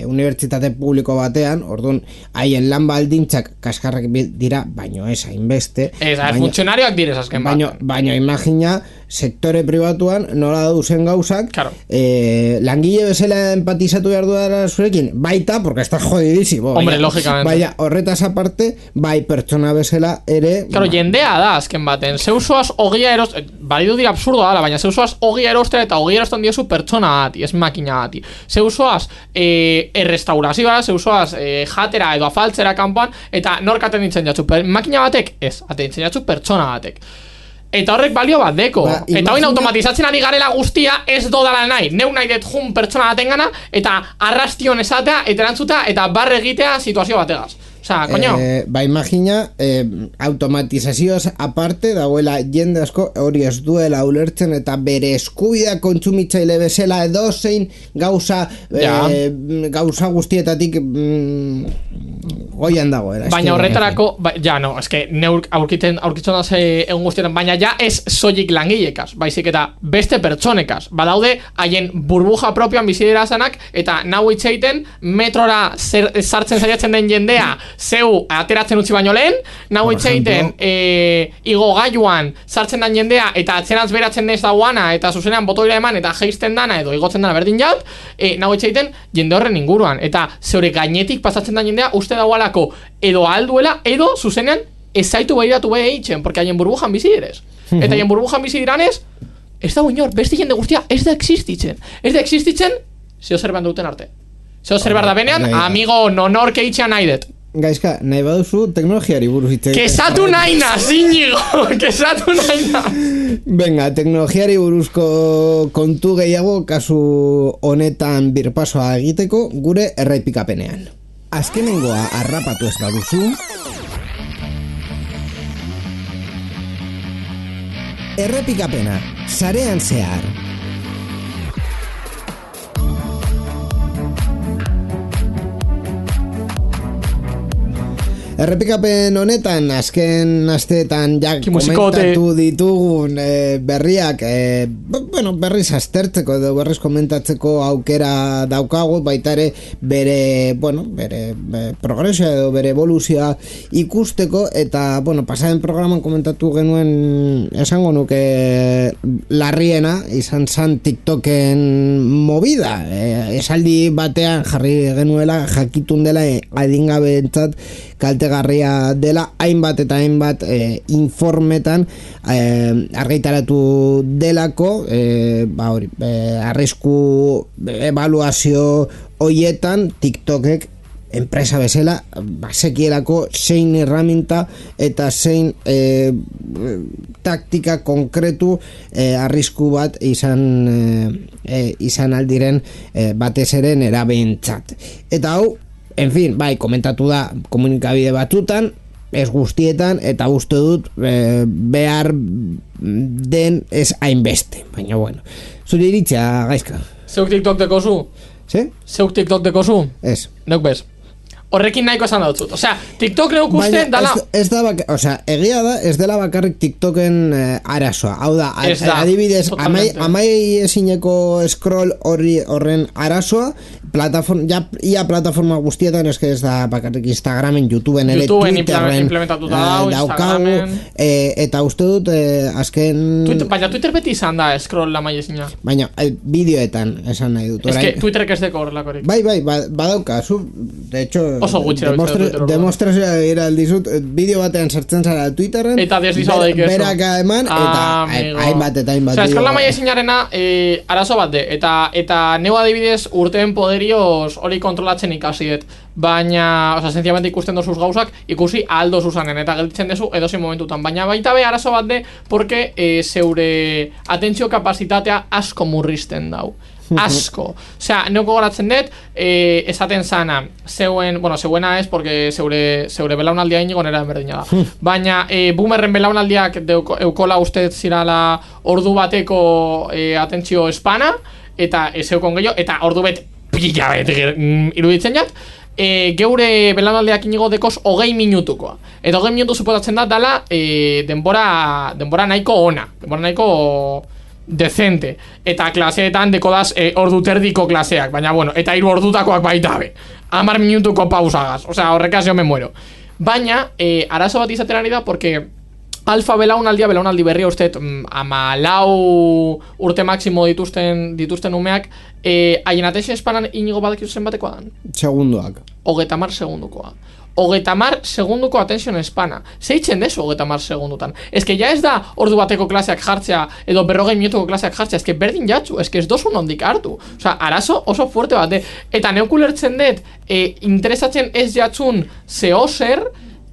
unibertsitate publiko batean, orduan haien lan baldintzak kaskarrak dira, baino ez hainbeste. Funtzionarioak direz azken bat. Baino imagina sektore pribatuan nola dauzen gauzak, claro. Langile bezala empatizatu behar duela zurekin, baita, porque está jodidísimo. Hombre, lógicamente. Baina, horretaz aparte, bai pertsona bezala ere... Claro, jendea da, azken baten. Zeusoaz ogia balidu dira absurdo dala, baina zeusoaz ogia erostea eta ogia erostan diozu pertsona gati, ez makina gati. Zeusoaz errestaurazioa, zeusoaz jatera edo afaltzera kanpoan, eta norkaten ditzen jatzu. Makina batek, ez, aten jatzu pertsona batek. Eta horrek balio bat deko. Eta hoin automatizatzen ari garela guztia ez dodala nahi. Neu nahi dut jun pertsona batengana eta arrastion esatea, eta erantzuta, eta barre egitea situazio bategaz. Osa, koño. Imagina, automatizazioaz aparte dagoela jende asko hori ez duela ulertzen eta bere eskubidea kontsumitzaile bezala edozein gauza guztietatik goian dagoela. Baina horretarako, eske neur aurkitzen da egun guztietan, baina ja ez soilik langilekaz, baizik eta beste pertsonekaz. Badaude haien burbuja propioan bizidera zanak, eta nahu itxeiten metrora sartzen saiatzen den jendea zeu ateratzen utzi baino lehen, nahu itxeiten igo gaiuan sartzen den jendea eta atzeranz beratzen ez dauana eta zuzenean botoira eman eta geisten dana edo igotzen dana berdin jat, nahu itxeiten jende horren inguruan eta zeure gainetik pasatzen den jendea uste daualako edo alduela edo zuzenean ez zaitu behiratu behe eitzen, porque haien burbujan bizi direz. Eta haien burbujan bizi diranez ez dago inor, beste jende guztia ez da existitzen. Ez da existitzen zeo zerban duten arte. Zeo zerbar da benean, amigo nonor keitxean nahi dut. Gaizka, nahi baduzu teknologiari buruz hitz. Kesatu naina, Íñigo, kesatu naina. Venga, teknologiari buruzko kontu gehiago kasu honetan birpasoa egiteko gure errepikapenean. Azkenengoa harrapatu ez baduzu, errepikapena, sarean zehar. Errepikapen honetan, azken asteetan ja komentatu ditugun berriak, berriz aztertzeko edo berriz komentatzeko aukera daukagu, baita ere bere progresioa edo bere evoluzioa ikusteko, eta, pasaren programan komentatu genuen esango nuke larriena, izan zan TikToken movida, esaldi batean jarri genuela jakitun dela adingabeentzat kaltegarria dela hainbat eta hainbat informetan argitaratu delako arrisku ebaluazio hoietan TikTokek enpresa bezala basekielako zein herramienta eta zein taktika konkretu arrisku bat izan aldiren batez ere nerabeentzat. Eta hau, en fin, bai, komentatu da komunikabide batzutan, ez guztietan, eta uste dut behar den ez hainbeste. Baina, zure iritzia, Gaizka. Zeuk TikTok dekozu? Sí? Zeuk TikTok dekozu? Ez. Neuk bez. Horrekin nahiko esan dautzut. Osea, TikTok neuk uste dala... egia da, ez dela bakarrik TikToken arazoa. Hau da, adibidez, amai ezineko scroll horren arazoa, ia plataforma guztietan, eske ez da bakarrik Instagramen, YouTubeen ere, Twitterren daukagu, eta uste dut azken... Baina Twitter beti izan da scroll la maiezina. Baina bideoetan esan nahi dut. Ez que Twitterek ez deko horrelakorik. Bai, badauka, de hecho... Oso gutxi demostrazioa gira aldizut, bideo batean sartzen zara Twitterren, eta deslizago daik eso. Berak eman, eta hainbat. Osea, scroll la maiezinarena arazo bat de, eta neu adibidez urteen poderioz hori kontrolatzen ikasiet, baina, osea, sencillamente ikusten dozuz gauzak, ikusi aldo zuzanen, eta gelditzen dezu edozein momentutan, baina baita be arazo bat de, porque zeure atentzio kapazitatea asko murrizten dau. Asko. Osea, neuko goratzen dut, esaten zana, zeuena ez, porque zeure belaunaldia inigo nera enberdina da. Baina, boomerren belaunaldiak eukola ustez zirala ordu bateko atentzio espana, eta zeukon gehiago, eta ordu bet pila bet iruditzen jat, geure belaunaldiak inigo dekoz 20 minutukoa. Eta 20 minutu suposatzen da dala denbora nahiko ona, denbora nahiko decente, eta klaseetan dekodaz ordu terdiko klaseak, baina bueno, eta 3 ordutakoak baita be, 10 minutuko pausagaz, osea, horrekaz jo me muero. Baina, arazo bat izaten ari da, porque alfa belaunaldi berria uste 14 urte máximo dituzten umeak, haien atentzio espanan inigo badak zen batekoa dan? Segundoak. 30 segundukoa. 30 segunduko atentzio espana. Zeitzen dezu 30 segundutan. Ez que ja ez da ordu bateko klaseak jartzea edo 40 minutuko klaseak jartzea, ez que berdin jatzu, ez que ez dozu nondik hartu. Osa, arazo oso fuerte bat de. Eta neukulertzen dut, interesatzen ez jatzun zehozer,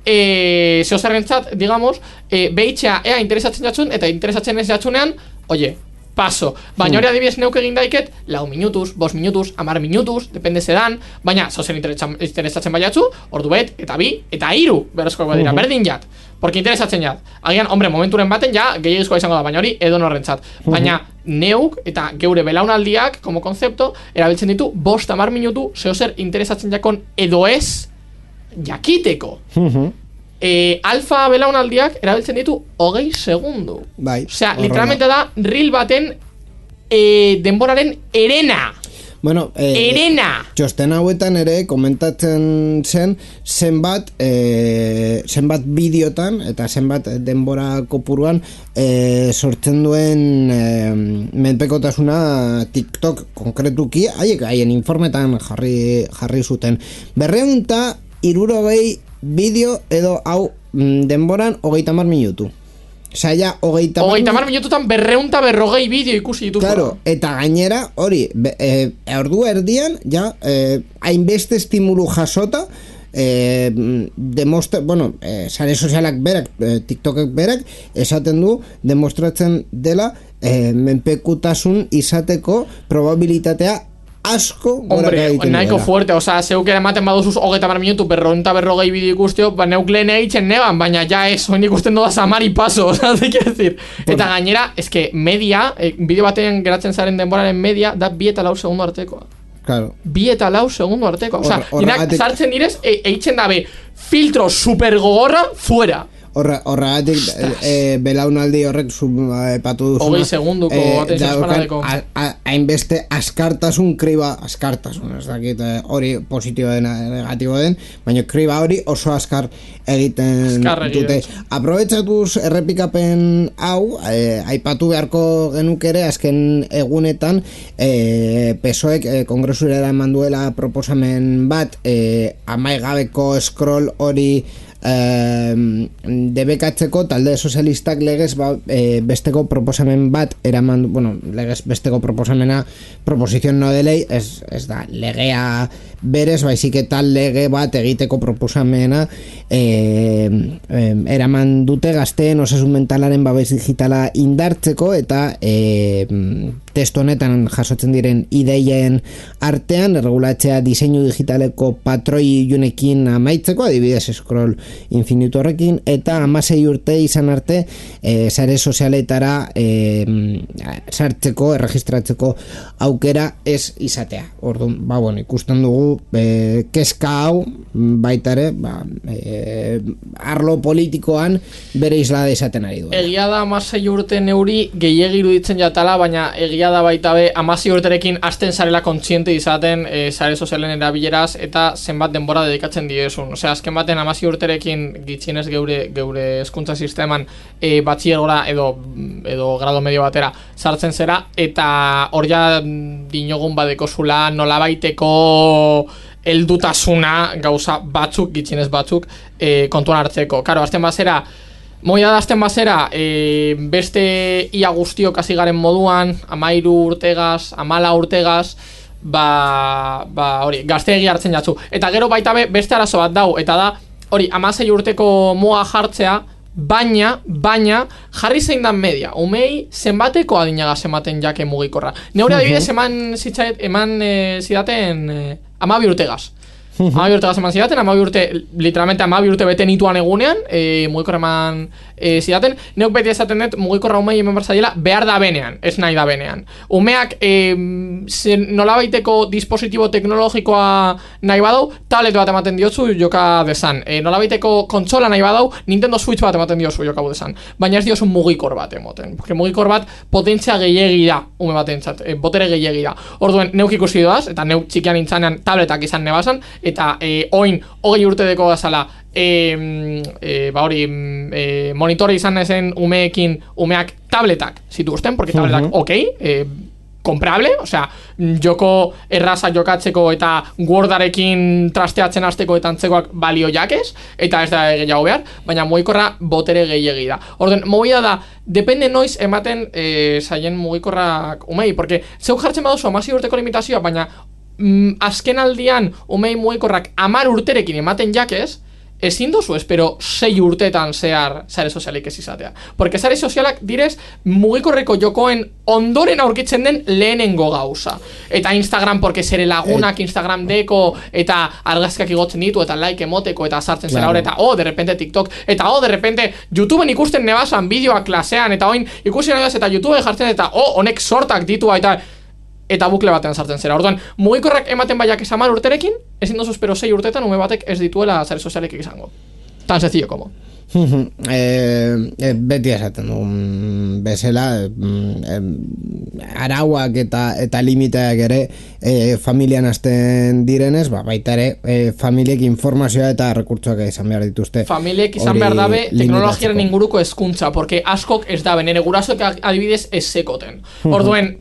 zehozerrentzat, digamos, behitxea ea interesatzen jatzun, eta interesatzen ez jatzunean, oye, paso. Baina hori adibidez neuk egin daiket 4 minutuz, 5 minutuz, 10 minutuz, depende zedan, baina zozen interesatzen baiatzu, ordu bet, eta 2, eta 3, berrezkoak badira, berdin jat. Porque interesatzen jat. Agian, hombre, momenturen baten ja, gehiagizkoa izango da, baina hori edo norrentzat. Baina neuk eta geure belaunaldiak, como konzepto, erabiltzen ditu 5-10 minutu, zehozer interesatzen jakon edo ez, jakiteko. Alfa belaunaldiak erabiltzen ditu 20 segundu. Bai, osea, literalmente da reel baten denboraren erena. Bueno, erena. Txosten hauetan ere komentatzen zen zenbat bideotan eta zenbat denbora kopuruan sortzen duen menpekotasuna TikTok konkretuki, haien informetan jarri zuten 260 bideo edo hau denboran 30 minutu. Osea, ja, 30 minututan 240 bideo ikusi dituzu. Claro, eta gainera, hori, ordu erdian, ja, hainbeste estimulu jasota, sare sozialak berak, TikTokek berak, esaten du, demostratzen dela, menpekutasun izateko probabilitatea asko gora egiten nahiko fuerte, osea, zeuk ematen baduzuz 30 minutu, 240 bideo ikusteo, neuk lehen egiten neban, baina ja ez, oin ikusten doda samari paso, osea, te quiero decir. Eta gainera, eske media, bideo batean geratzen zaren denboraren media, da 2 eta 4 segundu artekoa. Claro. 2 eta 4 segundu artekoa. Osea, dinak sartzen direz, eitzen dabe, filtro super gogorra, fuera. Horregatik belaunaldi horrek epatu duzuna 20 segunduko atentzio espanadeko hainbeste askartasun ez dakit hori positibo den negatibo den, baina kriba hori oso askar egiten dute. Aprobetxatuz errepikapen hau aipatu beharko genuk ere azken egunetan PSOEk kongresurera eman duela proposamen bat amaigabeko scroll hori debekatzeko talde sozialistak legez besteko proposamen bat eraman, legez besteko proposamena proposizion no de ley ez da legea berez, baizik eta lege bat egiteko proposamena eraman dute gazteen osasun mentalaren babes digitala indartzeko eta testu honetan jasotzen diren ideien artean erregulatzea diseinu digitaleko patroi junekin amaitzeko, adibidez scroll infinitu horrekin, eta 16 urte izan arte sare sozialetara sartzeko, erregistratzeko aukera ez izatea. Orduan, ikusten dugu kezka hau baita ere arlo politikoan bere islada izaten ari du. Egia da 16 urte neuri gehiegi iruditzen jatala, baina egia egia da baita be, 16 urterekin hasten zarela kontziente izaten sare sozialen erabileraz eta zenbat denbora dedikatzen diezun. Osea, azken baten 16 urterekin gitxienez geure hezkuntza sisteman batxillergora edo grado medio batera sartzen zera, eta hor ja dinogun badekozula nolabaiteko heldutasuna gauza batzuk, gitxienez batzuk, kontuan hartzeko. Karo, azten bazera, moida da azten bazera, beste ia guztiok hasi garen moduan, 13 urtegaz, 14 urtegaz, hori, gazteegi hartzen jatzu. Eta gero baita beste arazo bat dau, eta da, hori, 16 urteko muga jartzea, baina jarri zein dan media, umei zenbateko adinagaz ematen jake mugikorra. Neure adibidez eman zidaten 12 urtegaz. 12 urte gazeman zidaten, 12 urte, literalmente 12 urte bete nituan egunean, mugikorra eman zidaten. Neuk beti esaten dut, mugikorra umei hemen barzadiela, behar da benean, ez nahi da benean. Umeak nolabaiteko dispositibo teknologikoa nahi badau, tablet bat ematen diotzu joka dezan. Nolabaiteko kontsola nahi badau, Nintendo Switch bat ematen diozu joka dezan. Baina ez diozu mugikor bat emoten. Porque mugikor bat potentzia gehiegi da, ume batentzat, botere gehiegi da. Orduen, neuk ikusi doaz, eta neuk txikian intzanean tabletak izan nebazan, eta oin 20 urte deko gazala monitore izan ezen umeak tabletak zituzten, porque tabletak comprable, osea, joko erraza jokatzeko eta Wordarekin trasteatzen hasteko eta antzekoak balio jakez, eta ez da gehiago behar, baina mugikorra botere gehiegi da. Orden, movida da, depende noiz ematen zaien mugikorrak umei, porque zeuk jartzen baduzu 16 urteko limitazioa, baina azken aldian umei mugikorrak 10 urterekin ematen jakez, ezin dozu espero 6 urteetan zehar sare sozialik ez izatea. Porque sare sozialak direz mugikorreko jokoen ondoren aurkitzen den lehenengo gauza. Eta Instagram, porque zere lagunak Instagram deko, eta argazkak igotzen ditu, eta like emoteko, eta sartzen zera hor, eta de repente TikTok, eta de repente YouTubeen ikusten nebasan bideoak klasean, eta oin ikusi nebaz, eta YouTubeen jartzen, eta honek sortak ditua, eta bukle batean sartzen zera. Orduan, mugikorrak ematen baiak 10 urterekin, ezin dozu espero 6 urteetan ume batek ez dituela sare sozialek izango. Tan sencillo como. Beti esaten dugun bezala, arauak eta limiteak ere familian hasten direnez, baita ere familiek informazioa eta rekurtsoak izan behar dituzte. Familiek izan behar dabe teknologiaren inguruko hezkuntza, porque askok ez dabe, nire gurasoek adibidez ez sekoten. Orduen,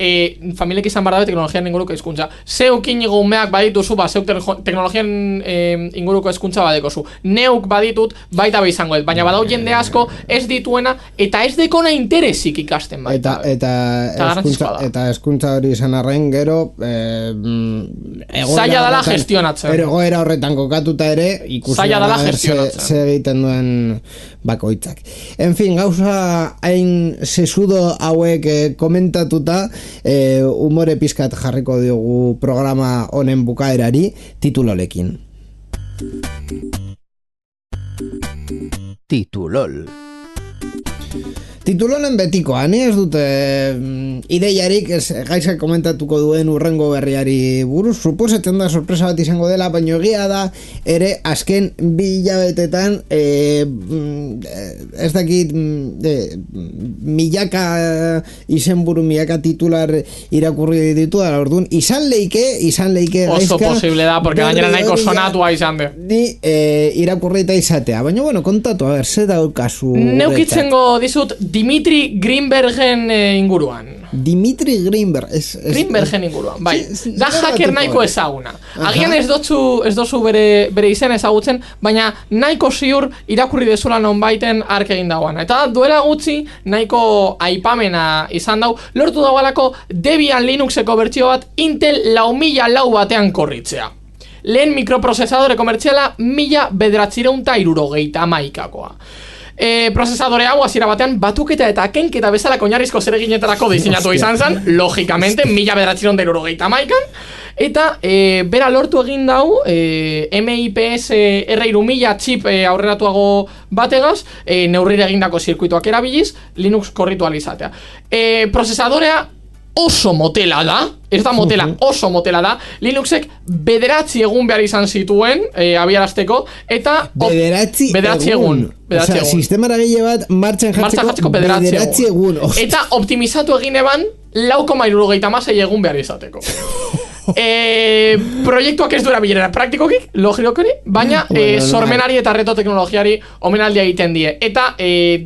familiek izan behar dabe teknologiaren inguruko hezkuntza. Zeukin umeak badituzu, zeuk teknologiaren inguruko hezkuntza badekozu. Neuk baditut, baita be izango ez, baina badau jende asko ez dituena eta ez dekona interesik ikasten baita. Eta hezkuntza hori izan arren gero zaila dala gestionatzen. Egoera horretan kokatuta ere zaila dala gestionatzen. Ze egiten duen bakoitzak. En fin, gauza hain sesudo hauek komentatuta, umore pizkat jarriko diogu programa honen bukaerari titulolekin. Titulonen betikoa, ni ez dute ideiarik, gaizak komentatuko duen urrengo berriari buruz, suposatzen da sorpresa bat izango dela, baina egia da ere azken 2 hilabetetan ez dakit milaka izenburu, milaka titular irakurri ditu da, orduan izan leike oso posible da, porque gainera nahiko sonatua izan de ni irakurrita izatea, baina bueno, kontatu, a ver, ze daukazu neukitzengo dizut Dimitri Greenbergen inguruan. Dimitri Greenberg Greenbergen inguruan, bai. Da hacker nahiko ezaguna. Agian ez dozu bere izen ezagutzen, baina nahiko ziur irakurri dezula nonbaiten ark egin dagoana. Eta duela gutxi nahiko aipamena izan dau, lortu dagoelako Debian Linuxeko bertsio bat Intel 4004 batean korritzea. Lehen mikroprozesadore komertziala 1971koa. Prozesadore hau hasiera batean batuketa eta kenketa bezalako oinarrizko zereginetarako diseinatu izan zen, logikamente 1971an, eta bera lortu egin dau MIPS R3000 chip aurreratuago bategaz, neurrire egindako zirkuituak erabiliz, Linux korritu alizatea. Prozesadorea oso motela da, ez da motela, oso motela da. Linuxek 9 egun behar izan zituen abiarazteko, eta 9 egun. Osea, sistemara gehiago bat martxan jartzeko 9 egun. Eta optimizatu egin eban 4,76 egun behar izateko. Proiektuak ez du erabilera praktikoki, logikokeri, baina sormenari eta reto teknologiari omenaldia egiten die. Eta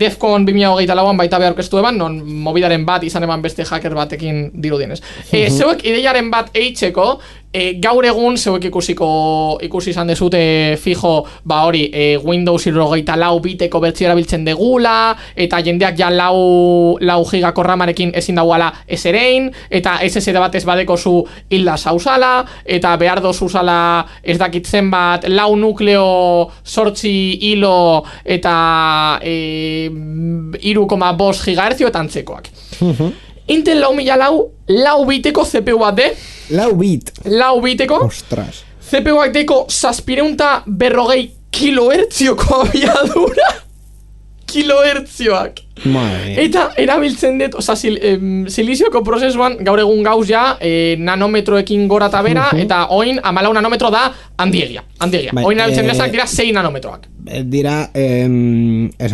Defcon 2024an baita behar orkestu eban, non mobidaren bat izan eban beste hacker batekin dirudienez. Zeuek ideiaren bat eitzeko, gaur egun zeuek ikusi izan dezute fijo, hori, Windows 74 biteko bertzio erabiltzen degula, eta jendeak ja 4 gigako ramarekin ezin dauala eserein, eta SSD bat ez badeko zu hilda zauzala, eta behar dozuzala ez dakitzen bat 4 nukleo 8 hilo eta 3,5 gigahertzio eta antzekoak. Intel 4004 biteko CPU bat de. 4 biteko. Ostras. CPU-ak deko 740 kilohertzioko abiadura. Kilohertzioak. Eta erabiltzen dut, silizioko prozesuan gaur egun gauz ja nanometroekin gora eta bera, eta oin 14 nanometro da handiegia. Oin erabiltzen dira 6 nanometroak. Dira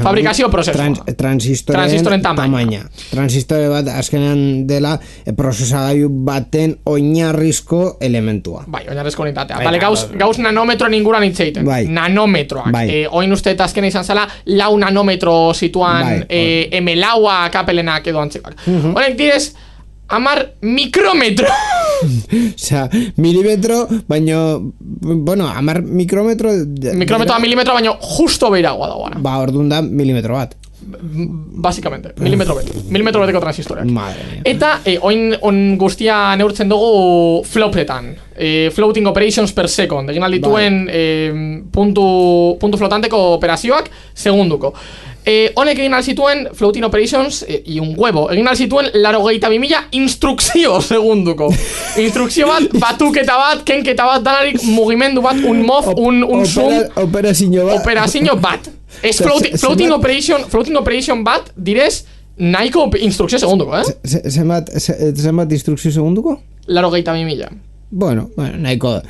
fabrikazio prozesuan. Transistoren tamaina. Transistore bat azkenean dela prozesagailu baten oinarrizko elementua. Bai, oinarrizko unitatea. Bale, gauz nanometro ninguran itzeiten. Nanometroak. Oin uste eta azkena izan zela 4 nanometro situan M-laua kapelenak edo antzekoak. Honek direz, 10 mikrometro. Osea, milimetro, baino, bueno, 10 mikrometro... Mikrometro a milimetro, baino justo beiragoa dagoana. Orduan da milimetro bat. Básicamente, milimetro beteko transistoreak. Madre mía. Eta on guztia neurtzen dugu flopetan. Floating operations per second. Egin aldituen puntu flotanteko operazioak segunduko. Honek egin alzituen floating operations y un huevo. Egin alzituen 82.000 instrukzio segunduko. Instrukzio bat, batuketa bat, kenketa bat, danarik mugimendu bat, un move, un zoom. Operazio bat. Es floating operation bat direz nahiko instrukzio segunduko, Zenbat instrukzio segunduko? 82.000. Bueno, nahiko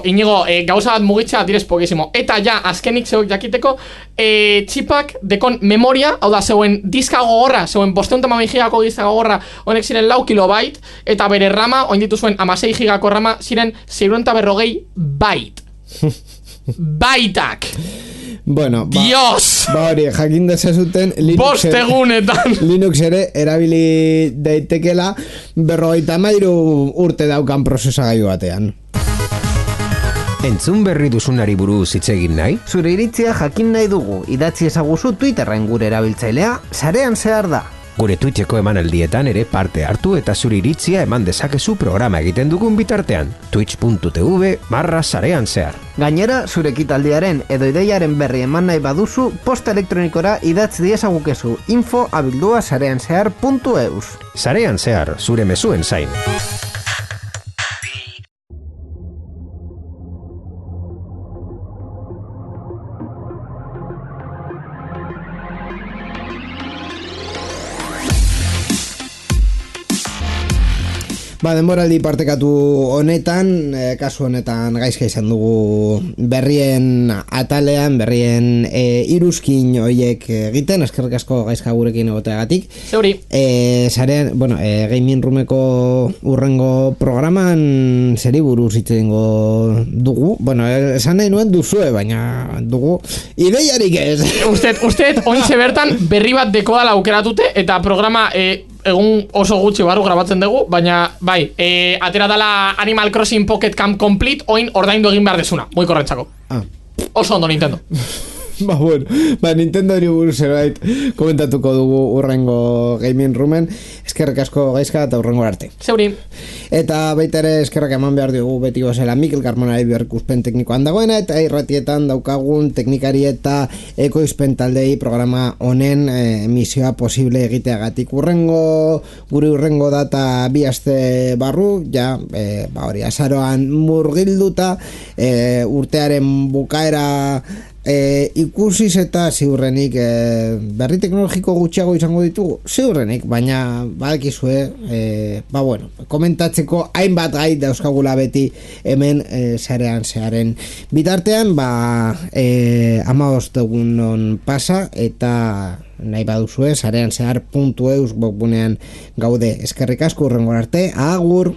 Inigo, gauza bat mugitza direz pokizimo. Eta ja, azkenik zeuek jakiteko txipak dekon memoria, hau da, zeuen diska gogorra, zeuen 512 gigako diska gogorra, honek ziren 4 kilobyte, eta bere rama, oin dituzuen 16 gigako rama, ziren 640 byte. Baitak. Bueno, Dios! Hori, jakin dezazuten Linux ere erabili daitekela 53 urte daukan prozesagailu batean. Entzun berri duzunari buruz hitz egin nahi? Zure iritzia jakin nahi dugu, idatzi ezaguzu Twitterren gure erabiltzailea, sarean zehar da. Gure Twitcheko emanaldietan ere parte hartu eta zure iritzia eman dezakezu programa egiten dugun bitartean. twitch.tv/sarean zehar. Gainera, zure ekitaldiaren edo ideiaren berri eman nahi baduzu, posta elektronikora idatz diezagukezu info@sareanzehar.eus. Sarean zehar, zure mezuen zain. Denboraldi partekatu honetan, kasu honetan gaizka izan dugu berrien atalean, berrien iruzkin hoiek egiten, eskerrik asko gaizka gurekin egoteagatik. Zeuri. Zarean, Gaming Roomeko urrengo programan zeri buruz hitz egingo dugu. Esan nahi nuen duzue, baina dugu ideiarik ez. Usted ointxe bertan berri bat dekodala aukeratute eta programa egun oso gutxi barru grabatzen dugu, baina bai, atera dala Animal Crossing Pocket Camp Complete, oin ordaindu egin behar desuna, muy korrentzako. Oso ondo Nintendo. Nintendo hori buruz zerbait komentatuko dugu urrengo Gaming Roomen. Eskerrik asko gaizka eta urrengo arte. Zeuri. Eta baita ere eskerrak eman behar dugu beti gozela Mikel Carmonari berrikuspen teknikoan dagoena, eta irratietan daukagun teknikari eta ekoizpen taldei programa honen emisioa posible egiteagatik. Gure urrengo data 2 aste barru, ja, hori, azaroan murgilduta, urtearen bukaera ikusiz eta ziurrenik berri teknologiko gutxiago izango ditugu, ziurrenik, baina badakizue, komentatzeko hainbat gai dauzkagula beti hemen sarean zearen bitartean, 15 egunon pasa eta nahi baduzue, sarean zehar.eus webgunean gaude. Eskerrik asko, hurrengora arte, agur!